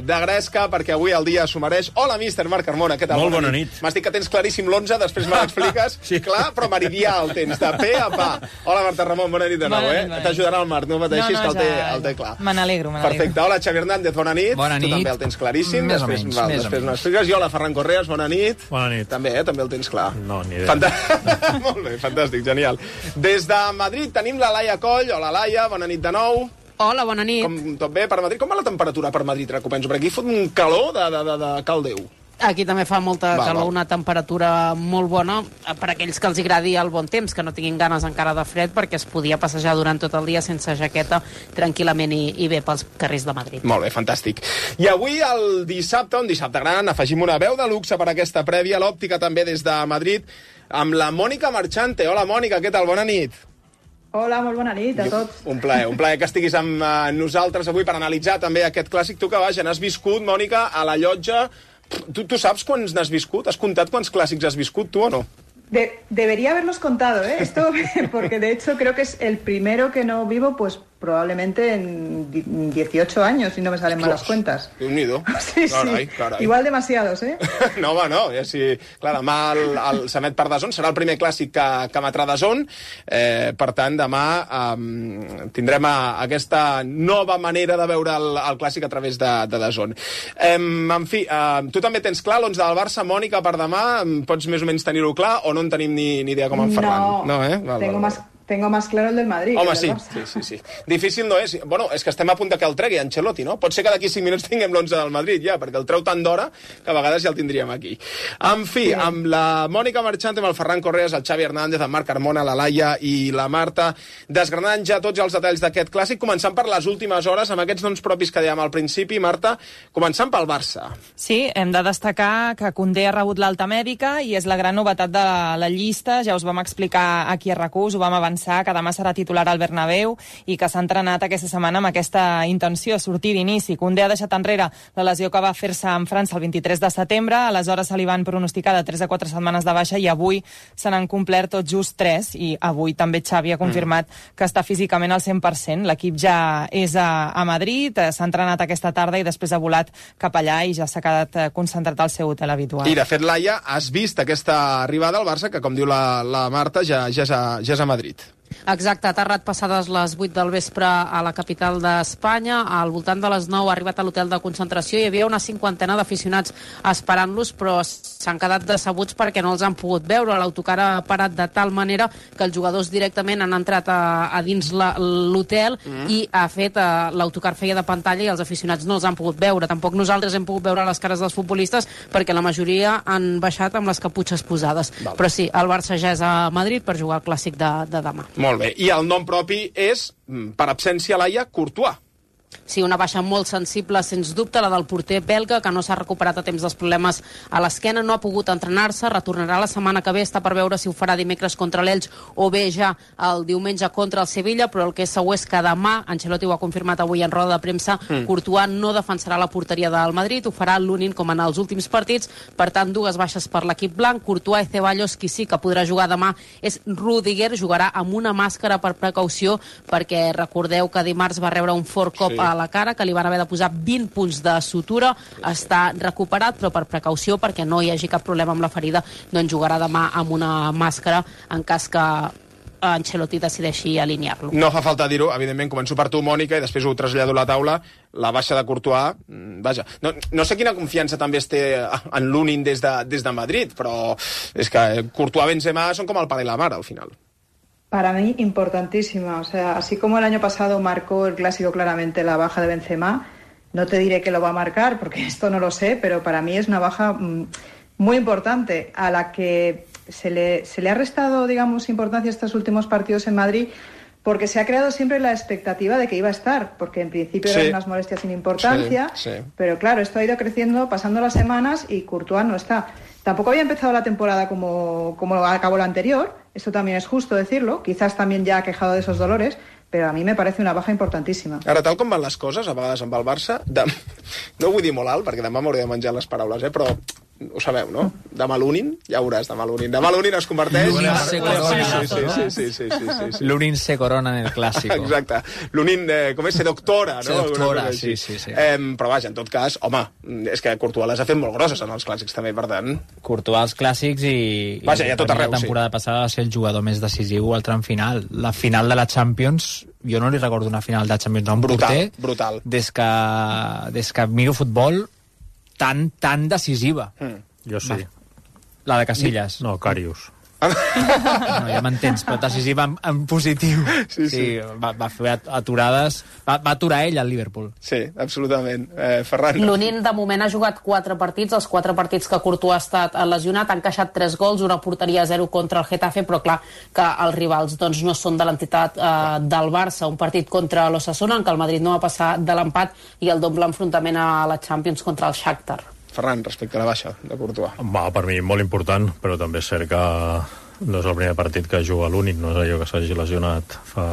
de gresca, perquè avui el dia s'ho mereix. Hola, míster Marc Carmona, què tal? Molt bona nit. M'has dit que tens claríssim l'onze, després me l'expliques. Sí. Clar, però meridià el tens, de pe a pa. Hola, Marta Ramon, bona nit de nou, eh? T'ajudarà el Marc, no pateixis, no, no, que el té, ja... el té clar. Me n'alegro, me n'alegro. Perfecte. Hola, Xavi Hernández, bona nit. Bona nit. Tu també el tens claríssim. Més després, o menys, val, més després o menys. m'expliques. I hola, Ferran Correas, bona nit. Bona nit. També, eh? També el tens clar. No, ni idea. Fantàstic. Molt bé, fantàstic, genial. Des de Madrid tenim la Laia Coll. Hola, Laia, bona nit de nou. Hola, bona nit. Com, tot bé per Madrid? Com va la temperatura per Madrid? Recupenso, perquè aquí fot un calor de, de, de, de cal Déu. Aquí també fa molta Va, calor, va. una temperatura molt bona per a aquells que els agradi el bon temps, que no tinguin ganes encara de fred, perquè es podia passejar durant tot el dia sense jaqueta tranquil·lament i, i bé pels carrers de Madrid. Molt bé, fantàstic. I avui, el dissabte, un dissabte gran, afegim una veu de luxe per aquesta prèvia, l'òptica també des de Madrid, amb la Mònica Marchante. Hola, Mònica, què tal? Bona nit. Hola, molt bona nit a tots. Un plaer, un plaer que estiguis amb uh, nosaltres avui per analitzar també aquest clàssic. Tu que vaja, n'has viscut, Mònica, a la llotja. Tu, tu saps quants n'has viscut? Has comptat quants clàssics has viscut, tu o no? De, debería haberlos contado, ¿eh? Esto, porque de hecho creo que es el primero que no vivo, pues probablemente en dieciocho años, si no me salen malas cuentas. Déu-n'hi-do. Sí, carai, sí. carai. Igual demasiados, ¿eh? No, home, no. Ja sí. Clar, demà el, el s'emet per DAZN, serà el primer clàssic que, que emetrà DAZN. Eh, per tant, demà eh, tindrem a, aquesta nova manera de veure el, el clàssic a través de, de DAZN. Eh, en fi, eh, tu també tens clar l'onze del Barça, Mònica, per demà. Pots més o menys tenir-ho clar o no en tenim ni, ni idea com en Ferran? No, no eh? val, tengo val, más... Tengo más claro el del Madrid. Home, que sí, el del sí, sí, sí. Difícil no és. Bueno, és que estem a punt de que el tregui Ancelotti, no? Pot ser que d'aquí cinc minuts tinguem l'onze del Madrid, ja, perquè el treu tant d'hora que a vegades ja el tindríem aquí. En fi, sí. Amb la Mònica Marchante, amb el Ferran Correas, el Xavi Hernández, el Marc Carmona, la Laia i la Marta, desgranant ja tots els detalls d'aquest clàssic, començant per les últimes hores, amb aquests noms propis que dèiem al principi. Marta, començant pel Barça. Sí, hem de destacar que Koundé ha rebut l'alta mèdica i és la gran novetat de la, la llista. Ja us vam explicar aquí a RAC u, us ho vam avançar, que demà serà titular al Bernabéu i que s'ha entrenat aquesta setmana amb aquesta intenció, sortir d'inici. Koundé ha deixat enrere la lesió que va fer-se en França el vint-i-tres de setembre, aleshores se li van pronosticar de tres a quatre setmanes de baixa i avui se n'han complert tot just tres i avui també Xavi ha confirmat mm. que està físicament al cent per cent. L'equip ja és a, a Madrid, s'ha entrenat aquesta tarda i després ha volat cap allà i ja s'ha quedat concentrat al seu hotel habitual. I de fet, Laia, has vist aquesta arribada al Barça que, com diu la, la Marta, ja, ja, és a, ja és a Madrid. Exacte, ha aterrat passades les vuit del vespre a la capital d'Espanya. Al voltant de les nou ha arribat a l'hotel de concentració. Hi havia una cinquantena d'aficionats esperant-los, però s'han quedat decebuts perquè no els han pogut veure. L'autocar ha parat de tal manera que els jugadors directament han entrat a, a dins l'hotel mm. i ha fet uh, l'autocar feia de pantalla i els aficionats no els han pogut veure. Tampoc nosaltres hem pogut veure les cares dels futbolistes perquè la majoria han baixat amb les caputxes posades. Val. Però sí, el Barça ja és a Madrid per jugar el clàssic de, de demà. Molt bé. I el nom propi és, per absència, Laia, Courtois. Sí, una baixa molt sensible, sens dubte, la del porter belga, que no s'ha recuperat a temps dels problemes a l'esquena, no ha pogut entrenar-se, retornarà la setmana que ve, està per veure si ho farà dimecres contra l'Elx o bé ja el diumenge contra el Sevilla, però el que és segur és que demà, Ancelotti ho ha confirmat avui en roda de premsa, mm. Courtois no defensarà la porteria del Madrid, ho farà l'únic com en els últims partits, per tant, dues baixes per l'equip blanc, Courtois i Ceballos, qui sí que podrà jugar demà és Rudiger, jugarà amb una màscara per precaució, perquè recordeu que dimarts va rebre un fort cop sí. a la cara, que li van haver de posar vint punts de sutura, està recuperat, però per precaució, perquè no hi hagi cap problema amb la ferida, doncs jugarà demà amb una màscara en cas que Ancelotti decideixi alinear-lo. No fa falta dir-ho, evidentment, començo per tu, Mònica, i després ho trasllado a la taula, la baixa de Courtois, vaja, no, no sé quina confiança també es té en l'Unin des de, des de Madrid, però és que Courtois i Benzema són com el pare i la mare, al final. Para mí, importantísima. O sea, así como el año pasado marcó el clásico claramente la baja de Benzema, no te diré que lo va a marcar, porque esto no lo sé, pero para mí es una baja mmm, muy importante, a la que se le, se le ha restado, digamos, importancia estos últimos partidos en Madrid, porque se ha creado siempre la expectativa de que iba a estar, porque en principio sí. eran unas molestias sin importancia, sí, sí. pero claro, esto ha ido creciendo, pasando las semanas, y Courtois no está. Tampoco había empezado la temporada como, como acabó la anterior, esto también es justo decirlo, quizás también ya ha quejado de esos dolores, però a mi me parece una baja importantíssima. Ara, tal com van les coses, a vegades amb el Barça, de... no ho vull dir molt alt, perquè demà m'hauré de menjar les paraules, eh? Però ho sabeu, no? Demà l'Unin, ja veuràs, demà l'Unin. Demà l'Unin es converteix... L'Unin se corona. Sí, sí, sí, sí, sí, sí, sí, sí. L'Unin se corona en el clàssico. Exacte. L'Unin, eh, com és? Se doctora, no? Se doctora, sí, sí, sí. Eh, però vaja, en tot cas, home, és que Courtois les ha fet molt grosses en els clàssics també, per tant... Courtois als clàssics i... Vaja, ja tot arreu, sí. La temporada passada va ser el jugador més decisiu al tram final. La final de la Champions, jo no li recordo una final de Champions a un brutal, porter brutal. Des que, des que miro futbol tan, tan decisiva. Mm. Jo sí. La de Casillas. No, Karius. No, ja m'entens, però decisiva en, en positiu. Sí, sí. sí va, va fer aturades... Va, va aturar ell al Liverpool. Sí, absolutament. Eh, Ferran. L'Unin, de moment, ha jugat quatre partits, els quatre partits que Courtois ha estat lesionat, han encaixat tres gols, una porteria a zero contra el Getafe, però clar que els rivals doncs, no són de l'entitat eh, del Barça. Un partit contra l'Osasuna, en què el Madrid no va passar de l'empat, i el doble enfrontament a la Champions contra el Shakhtar. Ferran, respecte a la baixa de Courtois. Va, per mi molt important, però també és cert que no és el primer partit que juga l'Únic, no és allò que s'hagi lesionat fa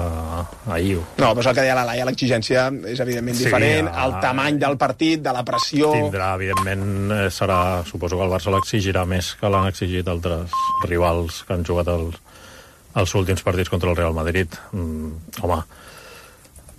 ahir. No, però és el que deia la Laia, l'exigència és evidentment Sí, diferent, a- el tamany del partit, de la pressió... Tindrà, evidentment, eh, serà... Suposo que el Barça l'exigirà més que l'han exigit altres rivals que han jugat els, els últims partits contra el Real Madrid. Mm, home,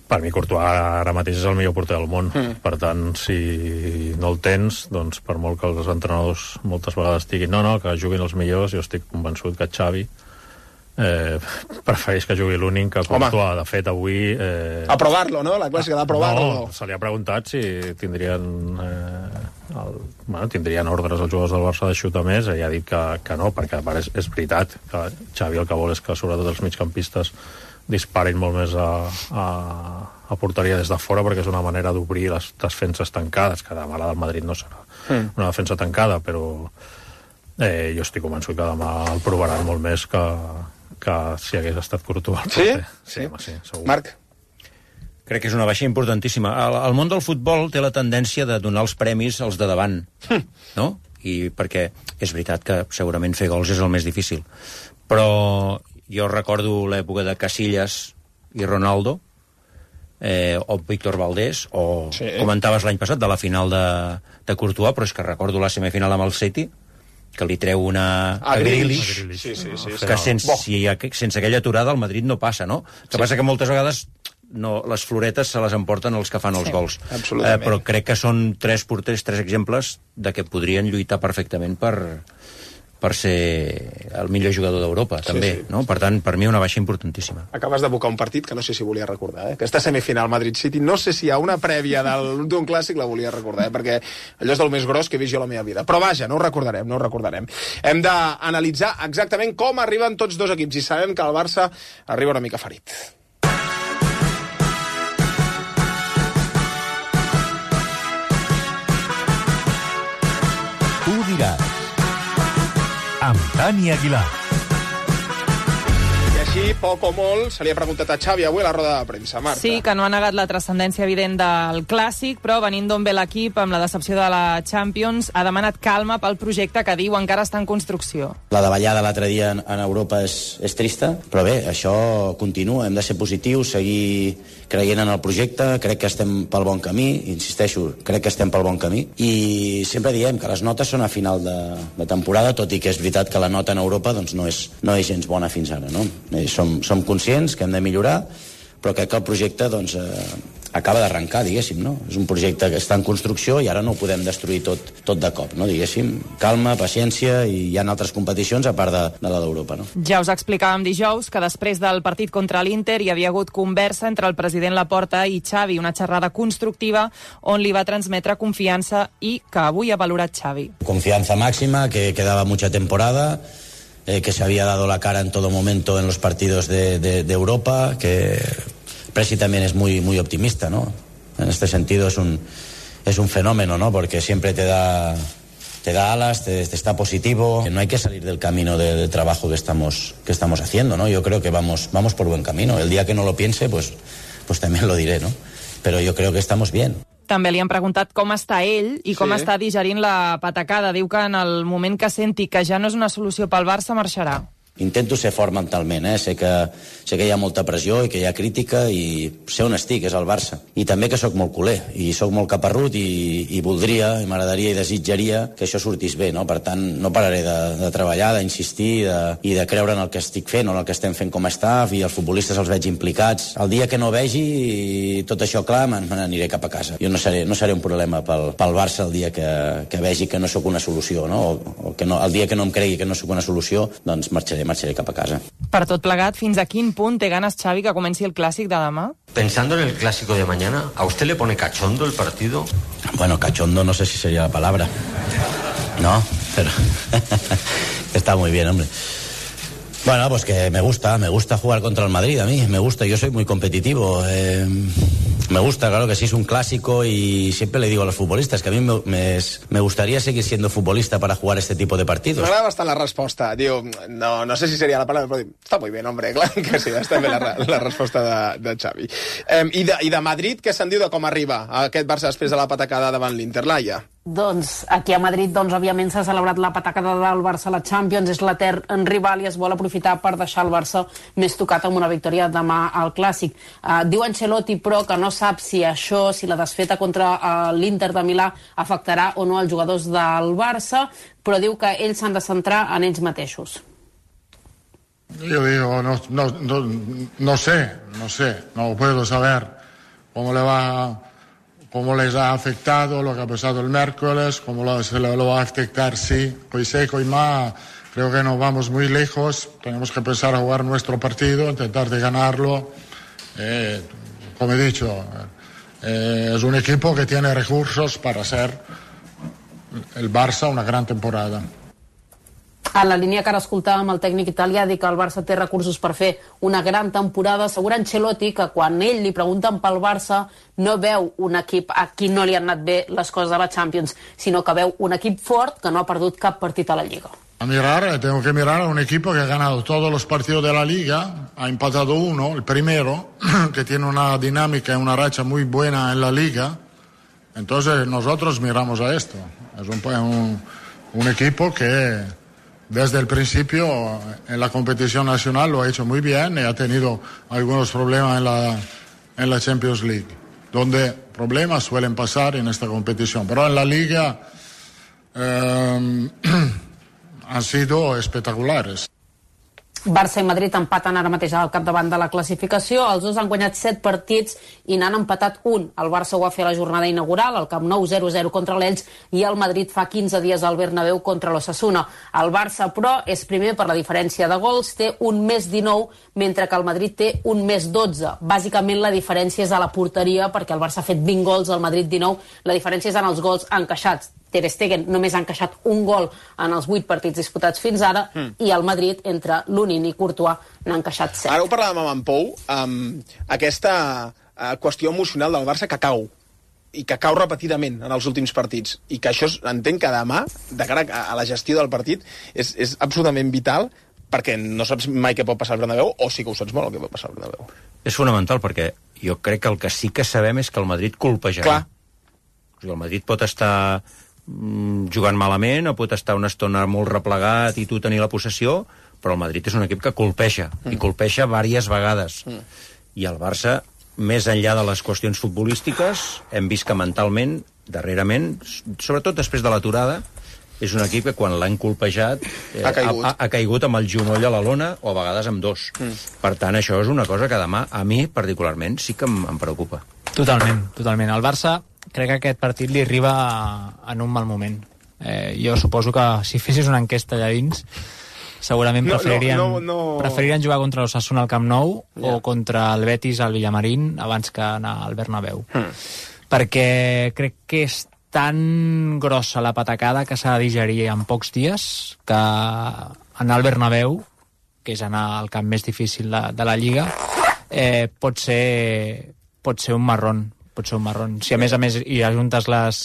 per mi Courtois ara mateix és el millor porter del món. Mm. Per tant, si no el tens, doncs per molt que els entrenadors moltes vegades diguin no, no, que juguin els millors, jo estic convençut que Xavi eh, prefereix que jugui l'Únic que Courtois. De fet, avui... Eh... Aprovar-lo, no? La clàssica d'aprovar-lo. No, se li ha preguntat si tindrien... Eh, el, bueno, tindrien ordres els jugadors del Barça de xutar més, i ha dit que, que no, perquè és, és veritat que Xavi el que vol és que sobretot els migcampistes disparin molt més a, a, a porteria des de fora, perquè és una manera d'obrir les defenses tancades, que demà la del Madrid no serà mm. una defensa tancada, però eh, jo estic convençut que demà el provaran molt més que, que si hagués estat Courtois. Sí? Sí, sí, home, sí, segur. Marc? Crec que és una baixa importantíssima. El, el món del futbol té la tendència de donar els premis als de davant, no? I perquè és veritat que segurament fer gols és el més difícil. Però jo recordo l'època de Casillas i Ronaldo, eh, o Víctor Valdés, o sí. comentaves l'any passat de la final de, de Courtois, però és que recordo la semifinal amb el City, que li treu una a, a Grealish, sí, sí, sí, que sense, si, sense aquella aturada el Madrid no passa, no? Que sí. passa que moltes vegades no, les floretes se les emporten els que fan els sí, gols. Eh, però crec que són tres porters, tres exemples de que podrien lluitar perfectament per... per ser el millor jugador d'Europa, sí, també, sí. no? Per tant, per mi una baixa importantíssima. Acabes d'abocar un partit que no sé si volia recordar, eh? Aquesta semifinal Madrid-City, no sé si hi ha una prèvia d'un clàssic, la volia recordar, eh? Perquè allò és del més gros que he vist jo a la meva vida. Però vaja, no ho recordarem, no ho recordarem. Hem d'analitzar exactament com arriben tots dos equips, i sabem que el Barça arriba una mica ferit. Tu diràs. Amb Dani Aguilar. I així, poc o molt, se li ha preguntat a Xavi avui a la roda de premsa. Marta. Sí, que no ha negat la transcendència evident del Clàssic, però venint d'on ve l'equip amb la decepció de la Champions, ha demanat calma pel projecte que diu encara està en construcció. La davallada l'altre dia en, en Europa és, és trista, però bé, això continua, hem de ser positius, seguir creient en el projecte, crec que estem pel bon camí, insisteixo, crec que estem pel bon camí, i sempre diem que les notes són a final de, de temporada, tot i que és veritat que la nota en Europa doncs, no, és, no és gens bona fins ara, no? Eh, som, som conscients que hem de millorar, però crec que el projecte doncs, eh, acaba d'arrencar, diguéssim, no? És un projecte que està en construcció i ara no ho podem destruir tot, tot de cop, no? Diguéssim, calma, paciència, i hi ha altres competicions a part de, de la d'Europa, no? Ja us explicàvem dijous que després del partit contra l'Inter hi havia hagut conversa entre el president Laporta i Xavi, una xerrada constructiva on li va transmetre confiança i que avui ha valorat Xavi. Confianza máxima, que quedaba mucha temporada, eh, que se había dado la cara en todo momento en los partidos de, de, de Europa, que Presi también es muy, muy optimista, ¿no? En este sentido es un, es un fenómeno, ¿no? Porque siempre te da, te da alas, te, te está positivo. No hay que salir del camino de, de trabajo que estamos, que estamos haciendo, ¿no? Yo creo que vamos, vamos por buen camino. El día que no lo piense, pues, pues también lo diré, ¿no? Pero yo creo que estamos bien. També li han preguntat com està ell i com sí. està digerint la patacada. Diu que en el moment que senti que ja no és una solució pel Barça, marxarà. Intento ser fort mentalment, eh? sé, que, sé que hi ha molta pressió i que hi ha crítica, i sé on estic, és el Barça. I també que sóc molt culer, i sóc molt caparrut, i, i voldria, i m'agradaria i desitjaria que això sortís bé, no? Per tant, no pararé de, de treballar, d'insistir, de, i de creure en el que estic fent, o en el que estem fent com a staff, i els futbolistes els veig implicats. El dia que no vegi tot això clar, me n'aniré cap a casa. Jo no seré, no seré un problema pel, pel Barça el dia que, que vegi que no sóc una solució, no? O, o que no, el dia que no em cregui que no sóc una solució, doncs marxaré marxaré cap a casa. Per tot plegat, fins a quin punt té ganes Xavi que comenci el clàssic de demà? Pensando en el clásico de mañana, ¿a usted le pone cachondo el partido? Bueno, cachondo no sé si sería la palabra. No, pero está muy bien, hombre. Bueno, pues que me gusta, me gusta jugar contra el Madrid a mí, me gusta, yo soy muy competitivo. Eh, me gusta, claro que sí, es un clásico y siempre le digo a los futbolistas que a mí me, me, me gustaría seguir siendo futbolista para jugar este tipo de partidos. M'agrada bastant la resposta. Diu, no, no sé si seria la paraula, però diu, està molt bé, hombre, clar que sí, està bé la, la resposta de, de Xavi. Eh, i, de, I de Madrid, què se'n diu de com arriba aquest Barça després de la patacada davant l'Inter, Laia? Doncs aquí a Madrid, doncs, òbviament s'ha celebrat la patacada del Barça a la Champions, és l'etern rival i es vol aprofitar per deixar el Barça més tocat amb una victòria demà al Clàssic. Uh, diu Ancelotti, però, que no sap si això, si la desfeta contra uh, l'Inter de Milà afectarà o no als jugadors del Barça, però diu que ells s'han de centrar en ells mateixos. Yo digo, no, no, no, no sé, no sé, no puedo saber cómo le va... cómo les ha afectado lo que ha pasado el miércoles, cómo lo, se lo, lo va a afectar, sí. Hoy sé que hoy más creo que nos vamos muy lejos, tenemos que empezar a jugar nuestro partido, intentar de ganarlo. Eh, como he dicho, eh, es un equipo que tiene recursos para hacer el Barça una gran temporada. En la línia que ara escoltàvem, el tècnic italià diu que el Barça té recursos per fer una gran temporada. Assegura Ancelotti que quan ell li pregunten pel Barça no veu un equip a qui no li han anat bé les coses a la Champions, sinó que veu un equip fort que no ha perdut cap partit a la Lliga. A mirar, tengo que mirar a un equipo que ha ganado todos los partidos de la Liga, ha empatado uno, el primero, que tiene una dinámica y una racha muy buena en la Liga. Entonces nosotros miramos a esto. Es un, un, un equipo que desde el principio en la competición nacional lo ha hecho muy bien y ha tenido algunos problemas en la, en la Champions League, donde problemas suelen pasar en esta competición. Pero en la Liga eh, han sido espectaculares. Barça i Madrid empaten ara mateix al capdavant de la classificació. Els dos han guanyat set partits i n'han empatat un. El Barça ho va fer a la jornada inaugural, al Camp Nou zero a zero contra l'Elx, i el Madrid fa quinze dies al Bernabéu contra l'Osasuna. El Barça, però, és primer per la diferència de gols, té un més dinou, mentre que el Madrid té un més dotze. Bàsicament la diferència és a la porteria, perquè el Barça ha fet vint gols, el Madrid dinou. La diferència és en els gols encaixats. Ter Stegen només ha encaixat un gol en els vuit partits disputats fins ara, mm. i el Madrid, entre Lunin i Courtois, n'ha encaixat set. Ara ho parlàvem amb en Pou, amb aquesta uh, qüestió emocional del Barça que cau, i que cau repetidament en els últims partits, i que això entenc que demà, de cara a la gestió del partit, és, és absolutament vital, perquè no saps mai què pot passar al Bernabéu, o sí que ho saps molt el que pot passar al Bernabéu. És fonamental, perquè jo crec que el que sí que sabem és que el Madrid colpejarà. Clar. O sigui, el Madrid pot estar jugant malament, o pot estar una estona molt replegat i tu tenir la possessió, però el Madrid és un equip que colpeja, mm. i colpeja diverses vegades. Mm. I el Barça, més enllà de les qüestions futbolístiques, hem vist que mentalment, darrerament, sobretot després de l'aturada, és un equip que quan l'han colpejat eh, ha, caigut. Ha, ha caigut amb el genoll a la lona, o a vegades amb dos. Mm. Per tant, això és una cosa que demà, a mi particularment, sí que em, em preocupa. Totalment, totalment. El Barça crec que aquest partit li arriba en un mal moment. Eh, jo suposo que si fessis una enquesta allà dins, segurament no, preferirien, no, no, no. preferirien jugar contra l'Osasuna al Camp Nou, yeah. o contra el Betis al Villamarín abans que anar al Bernabéu. Hmm. Perquè crec que és tan grossa la patacada que s'ha de digerir en pocs dies, que anar al Bernabéu, que és anar al camp més difícil de, de la Lliga, eh, pot ser, pot ser un marrón. Pot ser un marrón. Si a més a més hi ajuntes les...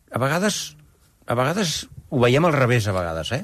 A vegades, a vegades ho veiem al revés, a vegades, eh?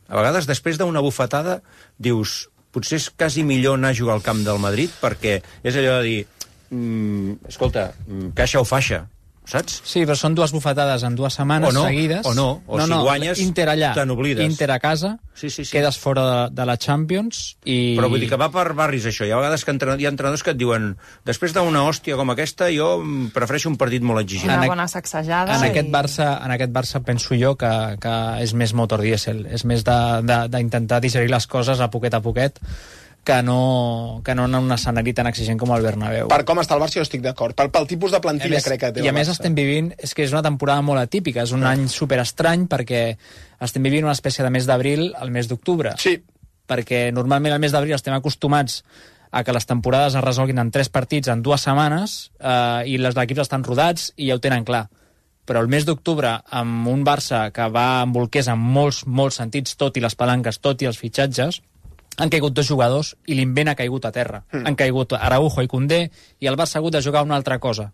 A vegades, després d'una bufetada, dius, potser és quasi millor anar a jugar al camp del Madrid, perquè és allò de dir, mm, escolta, caixa o faixa, saps? Sí, però són dues bufetades en dues setmanes o no, seguides. O no, o no, si no, guanyes, Inter allà, te n'oblides. Inter a casa, sí, sí, sí. quedes fora de, de la Champions i... Però vull dir que va per barris, això. Hi ha vegades que hi ha entrenadors que et diuen, després d'una hòstia com aquesta, jo prefereixo un partit molt exigent. Una bona sacsejada. En, i... aquest Barça, en aquest Barça penso jo que, que és més motor dièsel, és més d'intentar digerir les coses a poquet a poquet, que no, que no en un escenari tan exigent com el Bernabéu. Per com està el Barça jo estic d'acord, pel, pel tipus de plantilla més, crec que té el Barça. I a més estem vivint, és que és una temporada molt atípica, és un any superestrany perquè estem vivint una espècie de mes d'abril al mes d'octubre. Sí. Perquè normalment al mes d'abril estem acostumats a que les temporades es resolguin en tres partits en dues setmanes eh, i els equips estan rodats i ja ho tenen clar. Però el mes d'octubre, amb un Barça que va amb bolquers en molts, molts sentits, tot i les palanques, tot i els fitxatges, han caigut dos jugadors i l'invent ha caigut a terra. Mm. Han caigut Araujo i Koundé i el Barça ha hagut de jugar una altra cosa.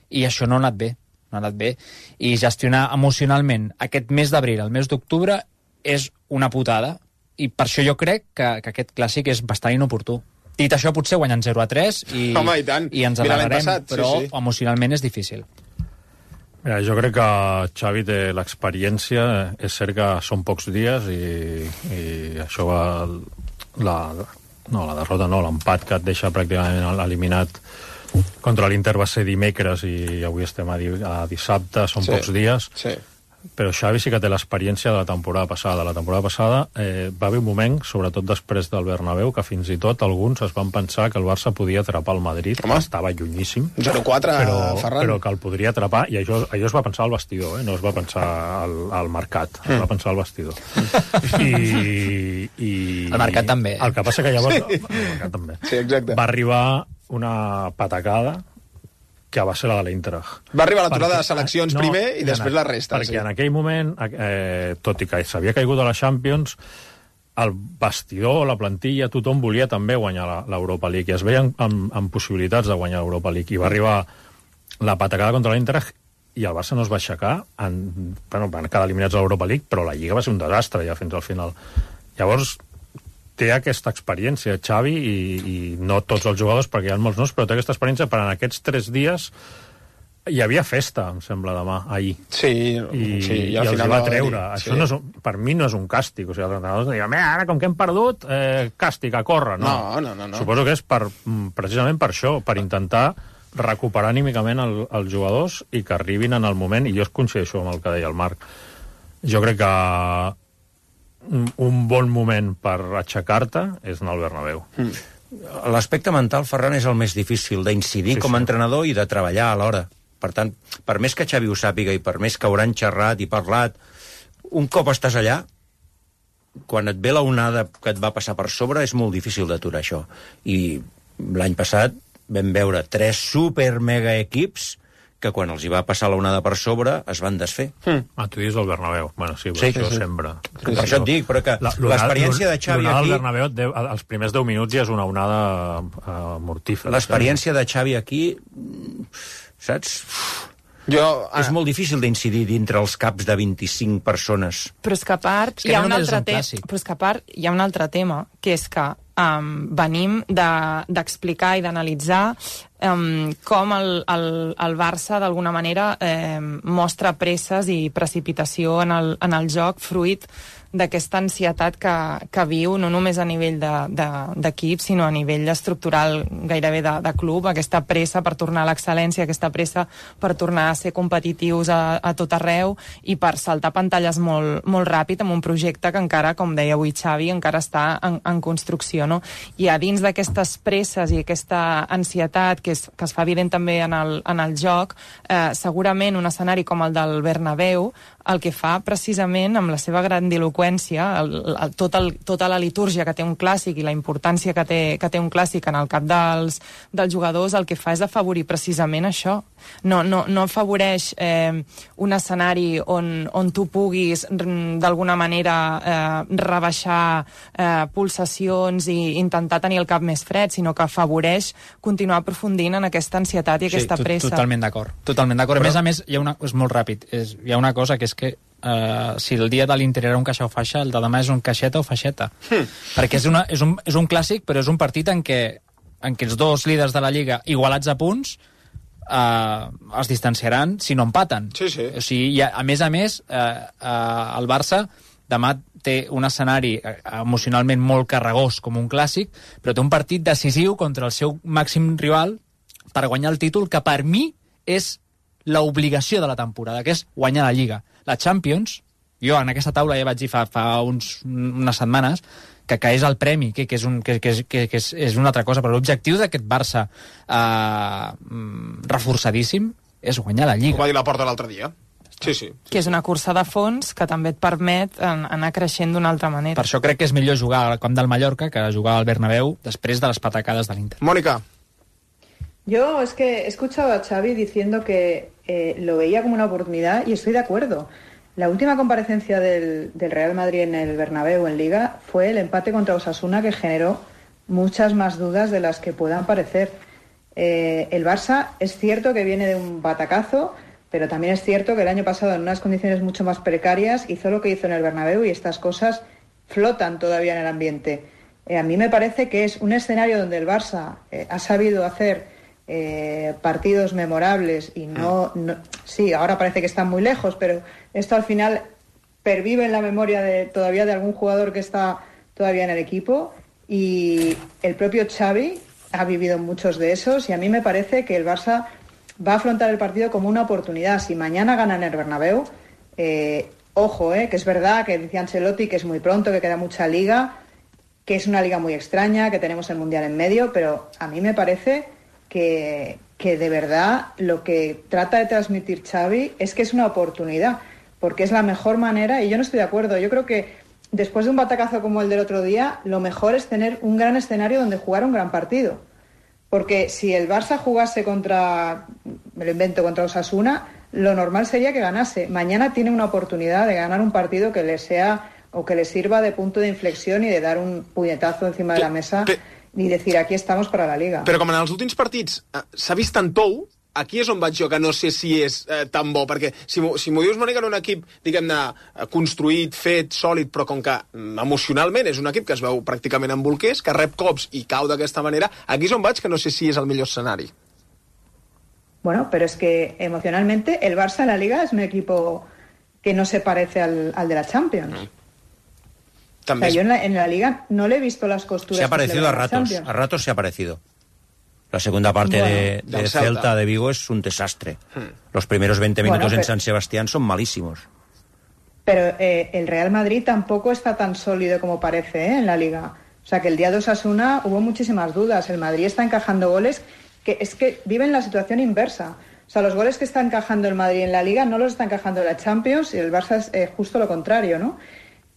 I això no ha anat bé. No ha anat bé. I gestionar emocionalment aquest mes d'abril, el mes d'octubre, és una putada. I per això jo crec que, que aquest clàssic és bastant inoportú. Dit això, potser guanyen zero a tres i, Home, i, tant. i ens alegrarem, però sí, sí. emocionalment és difícil. Mira, jo crec que Xavi té l'experiència, és cert que són pocs dies i, i això va... La, no, la derrota no, l'empat que et deixa pràcticament eliminat contra l'Inter va ser dimecres i avui estem a, di, a dissabte, són sí, pocs dies. Sí. Però Xavi sí que té l'experiència de la temporada passada. La temporada passada eh, va haver un moment, sobretot després del Bernabéu, que fins i tot alguns es van pensar que el Barça podia atrapar el Madrid. Home. Estava llunyíssim. zero quatre, però, Ferran. Però que el podria atrapar, i això, això es va pensar al vestidor, eh? No es va pensar al, al mercat, mm. es va pensar al vestidor. I, i... El mercat també. El que passa que llavors... Sí. El mercat també. Sí, exacte. Va arribar una patacada que va ser la de l'Eintracht. Va arribar l'aturada de seleccions no, primer i després la resta. Perquè sí. en aquell moment, eh, tot i que s'havia caigut a la Champions, el vestidor, la plantilla, tothom volia també guanyar l'Europa League i es veien amb, amb possibilitats de guanyar l'Europa League. I va arribar la patacada contra l'Eintracht i el Barça no es va aixecar. En, bueno, van quedar eliminats a l'Europa League, però la Lliga va ser un desastre ja fins al final. Llavors, té aquesta experiència, Xavi, i, i no tots els jugadors, perquè hi ha molts nous, però té aquesta experiència per en aquests tres dies hi havia festa, em sembla, demà, ahir. Sí, I, sí, i, i els hi va treure. Dir, Això sí. no és un, per mi no és un càstig. O sigui, els entrenadors diuen, ara, com que hem perdut, eh, càstig, a córrer. No. No, no, no, no. Suposo que és per, precisament per això, per intentar recuperar anímicament el, els jugadors i que arribin en el moment, i jo es coincideixo amb el que deia el Marc. Jo crec que un bon moment per aixecar-te és anar al Bernabéu. Mm. L'aspecte mental, Ferran, és el més difícil d'incidir sí, com a sí. entrenador i de treballar alhora. Per tant, per més que Xavi ho sàpiga i per més que hauran xerrat i parlat, un cop estàs allà, quan et ve la onada que et va passar per sobre, és molt difícil d'aturar això. I l'any passat vam veure tres super mega equips que quan els hi va passar la onada per sobre es van desfer. Mm. Ah, tu dius el Bernabéu. Bueno, sí, sí, això sí. sempre. Sí, per sí. això et dic, però que l'experiència de Xavi aquí... aquí... Bernabéu, deu, els primers deu minuts ja és una onada uh, mortífera. L'experiència de Xavi aquí, saps? Jo, ah, és molt difícil d'incidir dintre els caps de vint-i-cinc persones. Però és que a part, hi ha un altre tema, però és que a part hi ha un altre tema, que és que um, venim d'explicar de, i d'analitzar um, com el, el, el Barça d'alguna manera eh, mostra presses i precipitació en el, en el joc fruit d'aquesta ansietat que, que viu no només a nivell d'equip, de, sinó a nivell estructural gairebé de, de club, aquesta pressa per tornar a l'excel·lència, aquesta pressa per tornar a ser competitius a, a tot arreu i per saltar pantalles molt, molt ràpid amb un projecte que encara, com deia avui Xavi, encara està en, en construcció, no? I a dins d'aquestes presses i aquesta ansietat que es, que es fa evident també en el, en el joc, eh, segurament un escenari com el del Bernabéu el que fa precisament amb la seva grandiloqüència, el, el, tot el, tota la litúrgia que té un clàssic i la importància que té, que té un clàssic en el cap dels, dels jugadors, el que fa és afavorir precisament això. No, no, no afavoreix eh, un escenari on, on tu puguis d'alguna manera eh, rebaixar eh, pulsacions i intentar tenir el cap més fred, sinó que afavoreix continuar aprofundint en aquesta ansietat i aquesta sí, pressa. Totalment d'acord. Totalment d'acord. A més a més, hi ha una, és molt ràpid, és, hi ha una cosa que és que uh, si el dia de l'Inter era un caixa o faixa, el de demà és un caixeta o faixeta. Hmm. Perquè és, una, és, un, és un clàssic, però és un partit en què, en què els dos líders de la Lliga igualats a punts uh, es distanciaran si no empaten. Sí, sí. O sigui, ha, a més a més, uh, uh, el Barça demà té un escenari emocionalment molt carregós com un clàssic, però té un partit decisiu contra el seu màxim rival per guanyar el títol, que per mi és l'obligació de la temporada, que és guanyar la Lliga. La Champions, jo en aquesta taula ja vaig dir fa, fa uns, unes setmanes que, que és el premi, que, que, és, un, que, que, és, que, que és, és una altra cosa, però l'objectiu d'aquest Barça eh, reforçadíssim és guanyar la Lliga. Ho va dir la Porta l'altre dia. Sí, sí, sí. Que és una cursa de fons que també et permet anar creixent d'una altra manera. Per això crec que és millor jugar al camp del Mallorca que jugar al Bernabéu després de les patacades de l'Inter. Mónica. Yo es que he escuchado a Xavi diciendo que eh, lo veía como una oportunidad y estoy de acuerdo. La última comparecencia del, del Real Madrid en el Bernabéu en Liga fue el empate contra Osasuna, que generó muchas más dudas de las que puedan parecer. Eh, el Barça es cierto que viene de un batacazo, pero también es cierto que el año pasado, en unas condiciones mucho más precarias, hizo lo que hizo en el Bernabéu y estas cosas flotan todavía en el ambiente. Eh, a mí me parece que es un escenario donde el Barça eh, ha sabido hacer eh, partidos memorables y no, no... Sí, ahora parece que están muy lejos, pero esto al final pervive en la memoria de, todavía de algún jugador que está todavía en el equipo, y el propio Xavi ha vivido muchos de esos, y a mí me parece que el Barça va a afrontar el partido como una oportunidad. Si mañana gana en el Bernabéu, eh, ojo, eh, que es verdad que decía Ancelotti que es muy pronto, que queda mucha liga, que es una liga muy extraña, que tenemos el Mundial en medio, pero a mí me parece que, que de verdad lo que trata de transmitir Xavi es que es una oportunidad, porque es la mejor manera, y yo no estoy de acuerdo. Yo creo que después de un batacazo como el del otro día, lo mejor es tener un gran escenario donde jugar un gran partido. Porque si el Barça jugase contra, me lo invento, contra Osasuna, lo normal sería que ganase. Mañana tiene una oportunidad de ganar un partido que le sea o que le sirva de punto de inflexión y de dar un puñetazo encima de la mesa i decir, aquí estamos para la Liga. Però com en els últims partits eh, s'ha vist tant tou, aquí és on vaig jo, que no sé si és eh, tan bo, perquè si m'ho si dius, Mònica, en un equip, diguem-ne, construït, fet, sòlid, però com que emocionalment és un equip que es veu pràcticament en bolquers, que rep cops i cau d'aquesta manera, aquí és on vaig, que no sé si és el millor escenari. Bueno, pero es que emocionalmente el Barça en la Liga es un equipo que no se parece al, al de la Champions. Mm. O sea, yo en la, en la Liga no le he visto las costuras. Se ha parecido a ratos, a ratos se ha parecido. La segunda parte bueno, de, de Celta. Celta de Vigo es un desastre. Hmm. Los primeros veinte minutos bueno, pero, en San Sebastián son malísimos. Pero eh, el Real Madrid tampoco está tan sólido como parece ¿eh? en la Liga. O sea, que el día de Osasuna hubo muchísimas dudas. El Madrid está encajando goles que es que viven la situación inversa. O sea, los goles que está encajando el Madrid en la Liga no los está encajando en la Champions, y el Barça es eh, justo lo contrario, ¿no?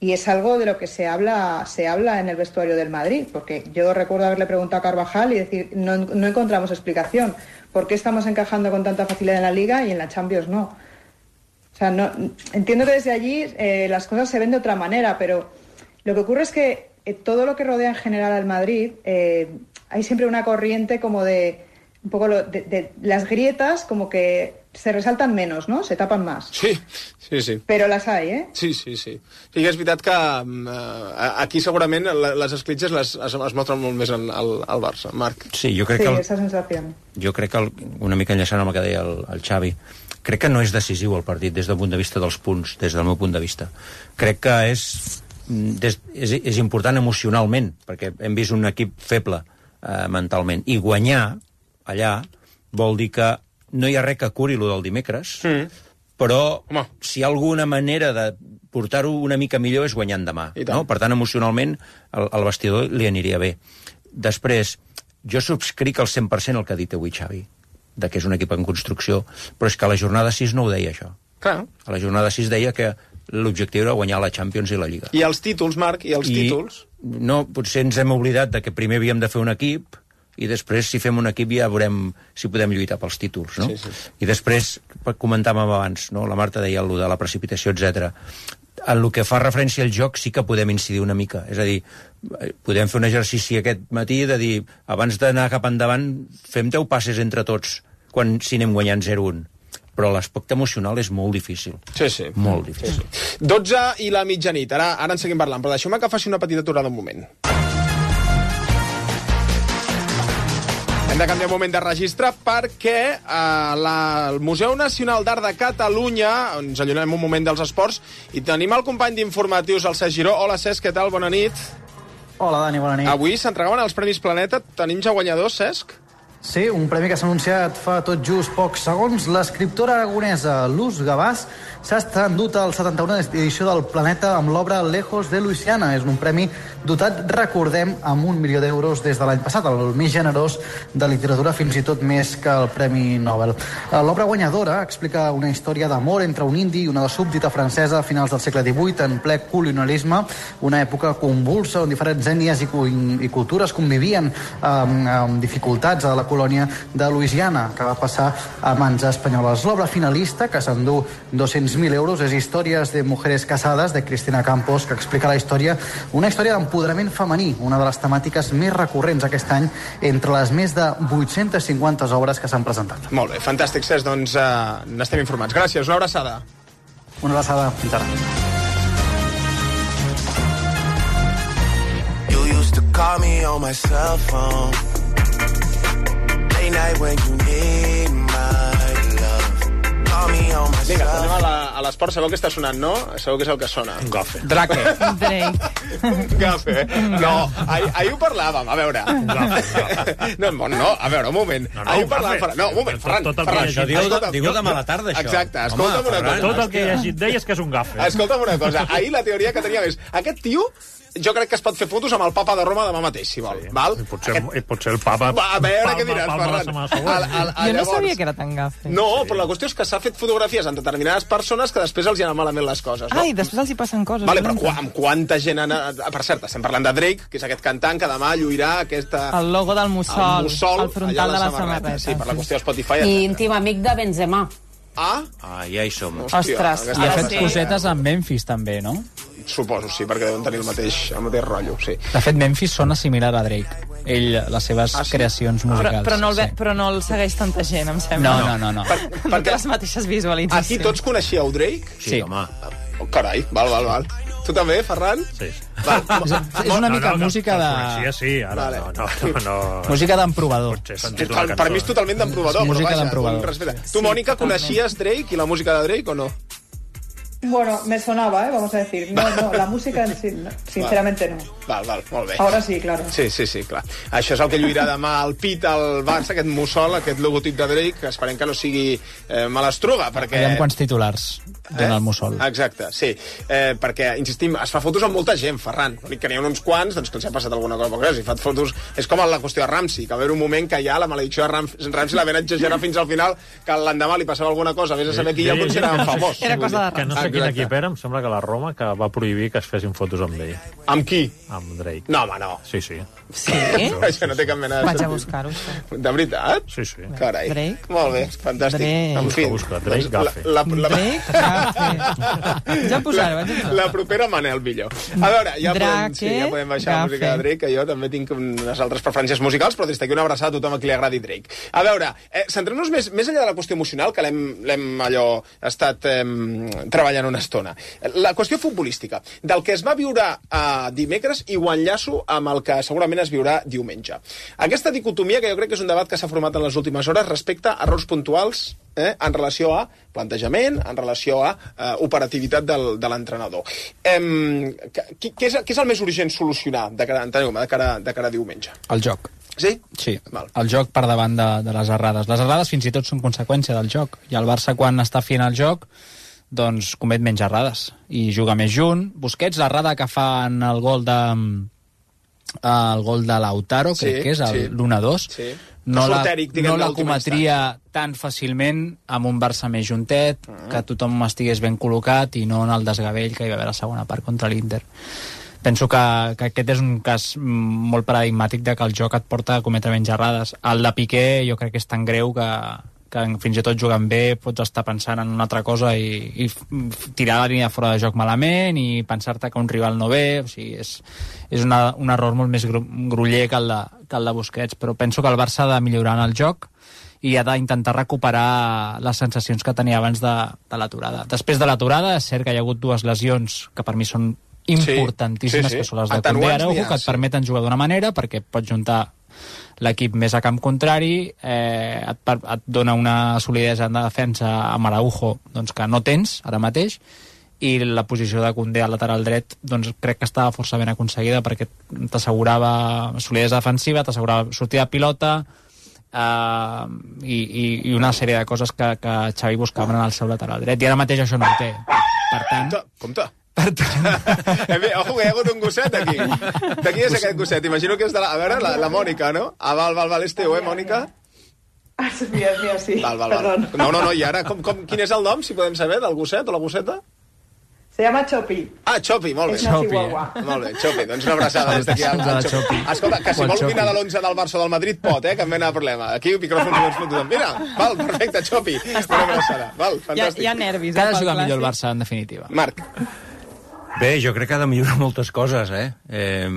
Y es algo de lo que se habla se habla en el vestuario del Madrid, porque yo recuerdo haberle preguntado a Carvajal y decir, no, no encontramos explicación. ¿Por qué estamos encajando con tanta facilidad en la Liga y en la Champions no? O sea, no, entiendo que desde allí eh, las cosas se ven de otra manera, pero lo que ocurre es que eh, todo lo que rodea en general al Madrid, eh, hay siempre una corriente como de, un poco lo, de, de las grietas como que se resaltan menos, no? Se tapan más. Sí, sí, sí. Però les hay, eh? Sí, sí, sí. Sí, és veritat que uh, aquí segurament les escletxes les, es, es mostren molt més al, al Barça. Marc. Sí, jo crec sí, que... El, esa sensació. Jo crec que, el, una mica enllaçant amb el que deia el, el Xavi, crec que no és decisiu el partit des del punt de vista dels punts, des del meu punt de vista. Crec que és, des, és, és important emocionalment, perquè hem vist un equip feble uh, mentalment. I guanyar allà vol dir que no hi ha res que curi lo del dimecres, mm. però Home. si hi ha alguna manera de portar-ho una mica millor és guanyant demà. No? Per tant, emocionalment, al, al vestidor li aniria bé. Després, jo subscric al cent per cent el que ha dit avui Xavi, de que és un equip en construcció, però és que a la jornada sis no ho deia, això. Clar. A la jornada sis deia que l'objectiu era guanyar la Champions i la Lliga. I els títols, Marc, i els I, títols? No, potser ens hem oblidat de que primer havíem de fer un equip, i després, si fem un equip, ja veurem si podem lluitar pels títols, no? Sí, sí. I després, comentàvem abans, no? La Marta deia allò de la precipitació, etcètera. En el que fa referència al joc sí que podem incidir una mica. És a dir, podem fer un exercici aquest matí de dir, abans d'anar cap endavant, fem deu passes entre tots, quan si anem guanyant zero un. Però l'aspecte emocional és molt difícil. Sí, sí. Molt difícil. Sí, sí. dotze i la mitjanit. Ara, ara en seguim parlant, però deixeu-me que faci una petita aturada un moment. Hem de canviar un moment de registre perquè eh, la, el Museu Nacional d'Art de Catalunya, ens allunyem un moment dels esports, i tenim el company d'informatius, el Cesc Giró. Hola, Cesc, què tal? Bona nit. Hola, Dani, bona nit. Avui s'entregaven els Premis Planeta. Tenim ja guanyadors, Cesc? Sí, un premi que s'ha anunciat fa tot just pocs segons. L'escriptora aragonesa Luz Gavàs s'ha endut al setanta-una edició del Planeta amb l'obra Lejos de Luisiana. És un premi dotat, recordem, amb un milió d'euros des de l'any passat, el més generós de literatura, fins i tot més que el Premi Nobel. L'obra guanyadora explica una història d'amor entre un indi i una súbdita francesa a finals del segle divuit, en ple colonialisme, una època convulsa on diferents ètnies i, i cultures convivien amb, amb dificultats a la colònia de Louisiana, que va passar a mans espanyoles. L'obra finalista, que s'endú dos-cents sis mil euros. És Històries de mujeres casades, de Cristina Campos, que explica la història, una història d'empoderament femení, una de les temàtiques més recurrents aquest any entre les més de vuit-centes cinquanta obres que s'han presentat. Molt bé, fantàstic, Cesc, doncs uh, n'estem informats. Gràcies, una abraçada. Una abraçada, fins ara. You used to call me on my cell phone late night when you need my love. Call me on my Vinga, cell anem a la- a l'esport. Sabeu que està sonant, no? Sabeu que és el que sona? Un gafe. Drake. Drake. Un gafe. No, ahir, ahir ho parlàvem, a veure. No, no, no, a veure, un moment. No, no, ahir ho un parlàvem, gafe. Ferran. No, un moment, Ferran. Tot el que Ferran, he llegit. Digue-ho de- escolta, digue-ho no, de mala tarda, això. Exacte, Home, escolta'm una Ferran. cosa. Tot el que he llegit d'ell és que és un gafe. Escolta'm una cosa, ahir la teoria que teníem és aquest tio, jo crec que es pot fer fotos amb el papa de Roma demà mateix, si vol. Val? I potser, i potser el papa... Va, a veure palma- què diràs, palma la Ferran. setmana següent. Al- al- al- Jo no llavors- sabia que era tan gafe. No, però la qüestió és que s'ha fet fotografies amb determinades persones que després els hi anen malament les coses, no? Ai, després els hi passen coses. Vale, però dolentes. qua, amb quanta gent... Han... Per cert, estem parlant de Drake, que és aquest cantant que demà lluirà aquesta... El logo del mussol, el mussol al frontal allà a de la samarreta. Sí, per la qüestió de Spotify. I etcètera. íntim amic de Benzema. Ah? Ah, ja hi som. Ostres. aquesta I ha no fet sé. cosetes amb Memphis també, no? Suposo, sí, perquè deuen tenir el mateix, el mateix rotllo, sí. De fet, Memphis sona similar a Drake. Ell, les seves Ah, sí? creacions Però, musicals. però, no el, ve, sí. però no el segueix tanta gent, em No, sembla. no, no. no. Per, No té les mateixes visualitzacions. Aquí tots coneixíeu Drake? Sí. Home. Oh, carai, val, val, val. Tu també, Ferran? Sí. Val. És, és una mica no, no, música que el de... coneixia, sí, ara Vale. no, no, no, no. Música d'emprovador. Potser sentir una Total, cançó. per mi és totalment d'emprovador, Sí, però música vaja, d'emprovador. un respecte. Tu, Mònica, coneixies Drake i la música de Drake o no? Bueno, me sonaba, ¿eh? Vamos a decir. No, no, la música en sí, no, sinceramente no. Val, val, molt bé. Ahora sí, claro. Sí, sí, sí, clar. Això és el que lluirà demà al pit al Barça, aquest mussol, aquest logotip de Drake, que esperem que no sigui eh, malastruga, perquè... Aviam quants titulars dona el mussol. Exacte, sí. Eh, perquè, insistim, es fa fotos amb molta gent, Ferran. L'únic que n'hi ha uns quants, doncs que els ha passat alguna cosa. Perquè si fa fotos... És com la qüestió de Ramsey, que va haver un moment que ja la maledicció de Ramsey, Ramsey la ven exagerar fins al final, que l'endemà li passava alguna cosa, vés a saber qui ja el considerava famós. Era cosa de Que no sé quin Exacte. equip era, em sembla que la Roma, que va prohibir que es fessin fotos amb ell. Amb qui? Amb Drake. No, home, no. Sí, sí. Sí? Això no té cap mena de Vaig a sentit. buscar-ho, això. De veritat? Sí, sí. Carai. Drake? Molt bé, fantàstic. Drake. En fi. Busca, busca. Drake, doncs, gafe. La, la, la, Drake, gafe. Ja em posaré, vaig a posar. La propera Manel millor. A veure, ja podem, Drake, sí, ja podem baixar la gafe. música de Drake, que jo també tinc unes altres preferències musicals, però des d'aquí una abraçada a tothom a qui li agradi Drake. A veure, eh, centrem-nos més, més enllà de la qüestió emocional, que l'hem l'hem allò estat eh, treballant una estona. La qüestió futbolística, del que es va viure eh, dimecres i ho enllaço amb el que segurament es viurà diumenge. Aquesta dicotomia, que jo crec que és un debat que s'ha format en les últimes hores respecte a errors puntuals eh, en relació a plantejament, en relació a eh, operativitat del, de l'entrenador. Eh, què, què, és, què és el més urgent solucionar de cara, de cara, de cara a diumenge? El joc. Sí? Sí, Val. el joc per davant de, de les errades. Les errades fins i tot són conseqüència del joc. I el Barça, quan està fent el joc, doncs comet menys errades i juga més junt. Busquets, l'errada que fa en el gol de el gol de Lautaro, Sí, crec que és el sí. l'u a dos, Sí. no la, Sortèric, diguem, no la l'última cometria tan fàcilment amb un Barça més juntet, Mm. que tothom estigués ben col·locat i no en el desgavell que hi va haver a la segona part contra l'Inter. Penso que, que aquest és un cas mm, molt paradigmàtic de que el joc et porta a cometre menys errades. El de Piqué jo crec que és tan greu que, que fins i tot jugant bé pots estar pensant en una altra cosa i, i f- tirar la línia fora de joc malament i pensar-te que un rival no ve. O sigui, és, és una, un error molt més gru, gruller que el, de, que el de Busquets, però penso que el Barça ha de millorar en el joc i ha d'intentar recuperar les sensacions que tenia abans de, de l'aturada. Després de l'aturada, és cert que hi ha hagut dues lesions que per mi són importantíssimes, sí, sí. que són les de Atenuants Koundé Araujo, n'hi ha, que et sí. permeten jugar d'una manera perquè pots juntar l'equip més a camp contrari, eh, et, per, et dona una solidesa en la defensa amb Araujo doncs, que no tens ara mateix, i la posició de Koundé al lateral dret doncs crec que estava força ben aconseguida perquè t'assegurava solidesa defensiva, t'assegurava sortida de pilota, Uh, i, i, i una sèrie de coses que, que Xavi buscava en el seu lateral dret, i ara mateix això no ho té. Per tant... Compte, compte. Ojo, que hi ha hagut un gosset aquí. De qui és aquest gosset? Imagino que és de la... A veure, la, la Mònica, no? Ah, val, val, val, és teu, eh, Mònica? Ah, és mia, és mia, sí. Val, val, val. Perdón. No, no, no, i ara, com, com, quin és el nom, si podem saber, del gosset o la gosseta? Se llama Chopi. Ah, Chopi, molt bé. És una chihuahua. Molt bé, Chopi, doncs una abraçada des d'aquí al Chopi. Escolta, que si vol opinar de l'onze del Barça o del Madrid pot, eh, que em mena de problema. Aquí micròfons oberts per tothom. Mira, val, perfecte, Chopi. Una abraçada, val, fantàstic. Hi ha nervis. Cada jugar millor el Barça, en definitiva. Marc. Bé, jo crec que ha de millorar moltes coses, eh? eh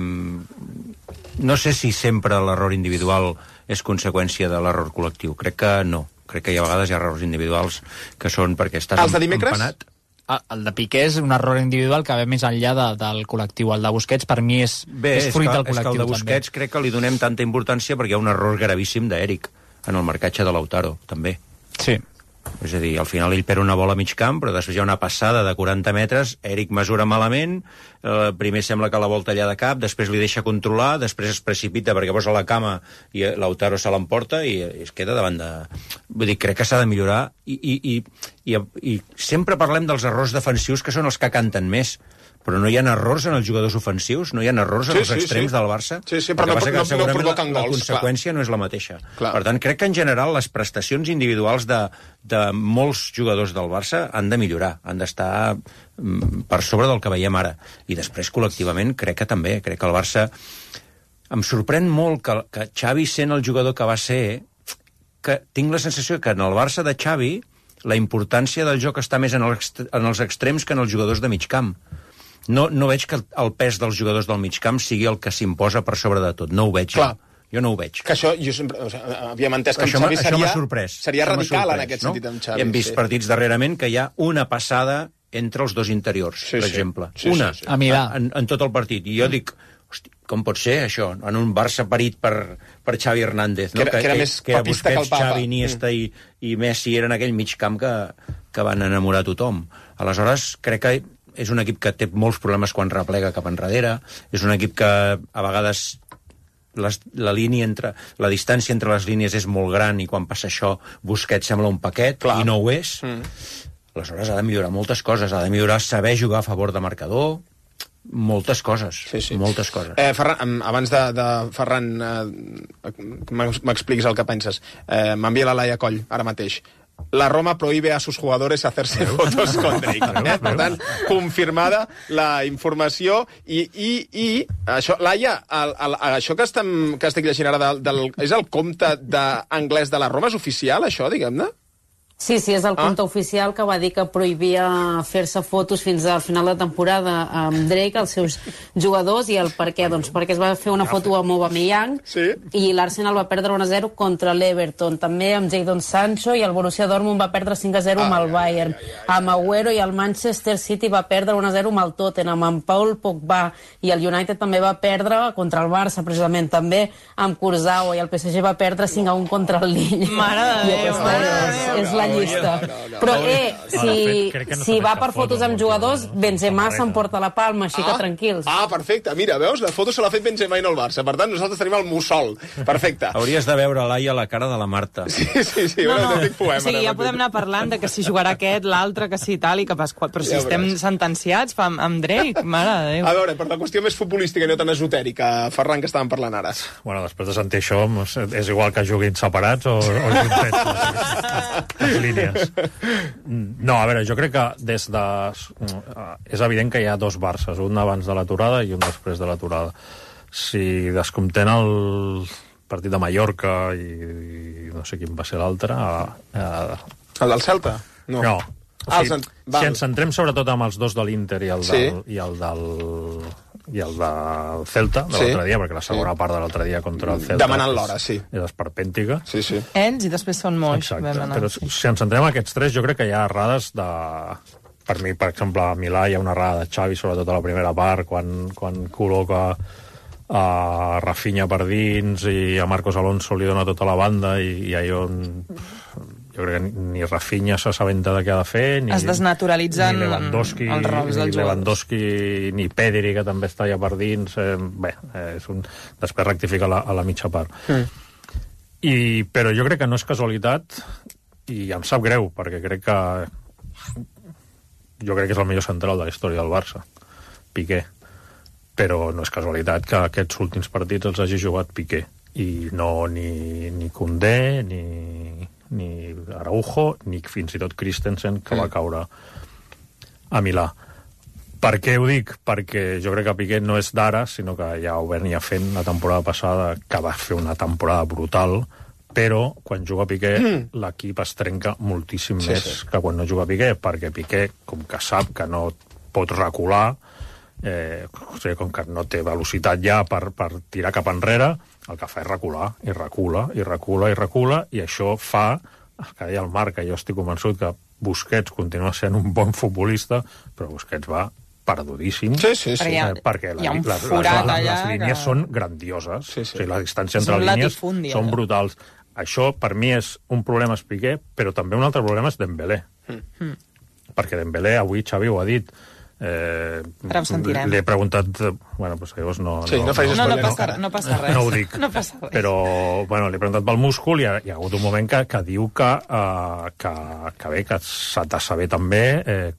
no sé si sempre l'error individual és conseqüència de l'error col·lectiu. Crec que no. Crec que hi ha vegades hi ha errors individuals que són perquè estàs Els de dimecres? empanat. El de Piqué és un error individual que ve més enllà de, del col·lectiu. El de Busquets, per mi, és, Bé, és fruit és que, del col·lectiu. És que el de Busquets també. crec que li donem tanta importància perquè hi ha un error gravíssim d'Eric en el marcatge de Lautaro, també. Sí. És a dir, al final ell perd una bola a mig camp, però després hi ha una passada de quaranta metres, Eric mesura malament, eh, primer sembla que la vol tallar de cap, després li deixa controlar, després es precipita perquè posa la cama i Lautaro se l'emporta i es queda davant de... Vull dir, crec que s'ha de millorar i, i, i, i, i sempre parlem dels errors defensius que són els que canten més, però no hi ha errors en els jugadors ofensius, no hi ha errors en Sí, els sí, extrems sí. del Barça. Sí, sí, però El que no- passa que no- no segurament provoquen la, gols, la conseqüència no és la mateixa. Clar. Per tant, crec que en general les prestacions individuals de, de molts jugadors del Barça han de millorar, han d'estar mm, per sobre del que veiem ara. I després, col·lectivament, crec que també. Crec que el Barça... Em sorprèn molt que, que Xavi, sent el jugador que va ser, que tinc la sensació que en el Barça de Xavi la importància del joc està més en els, en els extrems que en els jugadors de mig camp. No, no veig que el pes dels jugadors del mig camp sigui el que s'imposa per sobre de tot. No ho veig. Clar. Jo no ho veig. Que això, jo sempre, o sigui, havíem entès que Això amb m'ha- Xavi això m'ha seria, sorprès. seria Això m'ha radical en sorprès, aquest no? sentit amb Xavi. Hem vist sí. partits darrerament que hi ha una passada entre els dos interiors, Sí, per sí. exemple. Sí, una, sí, sí. A Milà. En, en tot el partit. I jo dic, hosti, com pot ser això? En un Barça parit per, per Xavi Hernández, no? Que era- que era més que era papista que el Busquets, Papa. Xavi, Iniesta Mm. i, i Messi eren aquell mig camp que, que van enamorar tothom. Aleshores, crec que és un equip que té molts problemes quan replega cap enrere, és un equip que a vegades les, la línia entre la distància entre les línies és molt gran i quan passa això Busquets sembla un paquet. Clar. I no ho és. Mm. Aleshores ha de millorar moltes coses, ha de millorar saber jugar a favor de marcador, moltes coses, Sí, sí. moltes coses. Eh, Ferran, em- abans de, de Ferran, eh, m'ex- m'expliquis el que penses. Eh, M'envia la Laia Coll, ara mateix. La Roma prohíbe a sus jugadores hacerse fotos con Drake. Eh? Per tant, confirmada la informació i, i, i això, Laia, el, el, això que, estem, que estic llegint ara del, del, és el compte de, anglès de la Roma? És oficial, això, diguem-ne? Sí, sí, és el Ah. compte oficial que va dir que prohibia fer-se fotos fins al final de temporada amb Drake, els seus jugadors, i el per què? Doncs perquè es va fer una foto amb Aubameyang sí. i l'Arsenal va perdre un a zero contra l'Everton, també amb Jadon Sancho, i el Borussia Dortmund va perdre cinc a zero amb el Bayern. Amb Agüero i el Manchester City va perdre un a zero amb el Tottenham, amb Paul Pogba, i el United també va perdre contra el Barça, precisament, també amb Kurzawa, i el P S G va perdre cinc a un contra el Lille. Mare de I Déu, aquesta mare de és, Déu. és la llista. Però, eh, si, crec que no si s'ha va fet per cap fotos foto amb amb jugadors, el Benzema s'emporta la palma, així que Ah. tranquils. Ah, perfecte. Mira, veus? La foto se l'ha fet Benzema i no el Barça. Per tant, nosaltres tenim el mussol. Perfecte. Hauries de veure, Laia, la cara de la Marta. Sí, sí, sí. No, un no. autèntic poema. O sigui, ja podem anar parlant de que si jugarà aquest, l'altre, que si tal, i que pas... Però si Ja estem veuràs. sentenciats fa, amb, amb Drake, mare de Déu. A veure, per la qüestió més futbolística i no tan esotèrica, Ferran, que estàvem parlant ara. Bueno, després de sentir això, doncs, és igual que juguin separats o, o juntets, les, les línies. No, a veure, jo crec que des de... És evident que hi ha dos Barces, un abans de l'aturada i un després de l'aturada. Si descomptem el partit de Mallorca i, i no sé quin va ser l'altre... Eh, El del Celta? No. no. O Ah, sigui, els en- val. si ens centrem sobretot amb els dos de l'Inter i el Sí. del, i el del i el del Celta de Sí. l'altre dia, perquè la segona Sí. part de l'altre dia contra el Celta Demanant és- l'hora, sí. és esperpèntica. Sí, sí. Ells i després són moix. Exacte, vam anar. però si ens centrem en aquests tres, jo crec que hi ha errades de... Per mi, per exemple, a Milà hi ha una errada de Xavi, sobretot a la primera part, quan, quan col·loca a Rafinha per dins i a Marcos Alonso li dona tota la banda i, i allò on... Jo crec que ni Rafinha s'assabenta de què ha de fer, ni, Es desnaturalitzen ni Lewandowski, els rols dels ni jugadors. Lewandowski, ni Pedri, que també està allà per dins. Eh, bé, eh, és un... després rectifica a la, a la mitja part. Mm. I, però jo crec que no és casualitat i em sap greu, perquè crec que jo crec que és el millor central de la història del Barça, Piqué. Però no és casualitat que aquests últims partits els hagi jugat Piqué i no ni, ni Koundé ni, ni Araujo ni fins i tot Christensen, que va caure a Milà. Per què ho dic? Perquè jo crec que Piqué no és d'ara, sinó que ja ho venia fent la temporada passada, que va fer una temporada brutal, però quan juga Piqué mm. l'equip es trenca moltíssim sí, més sí. que quan no juga Piqué, perquè Piqué, com que sap que no pot recular, eh, o sigui, com que no té velocitat ja per, per tirar cap enrere, el que fa és recular, i recula, i recula, i recula, i això fa, el que deia el Marc, que jo estic convençut que Busquets continua sent un bon futbolista, però Busquets va perdudíssim, sí, sí, sí. Eh, perquè la, la, la, la, les línies que... són grandioses, sí, sí. O sigui, la distància entre línies són brutals. Això, per mi, és un problema és Piqué, però també un altre problema és Dembélé. Mm. Perquè Dembélé, avui Xavi ho ha dit, Eh, Ara ho sentirem. Li he preguntat... Bueno, doncs llavors no... Sí, no, no, no, no, passa, no passa res. No ho dic. No passa res. Però, bueno, li he preguntat pel múscul i hi ha, hi ha hagut un moment que, que diu que, uh, que, que bé, que s'ha de saber també eh,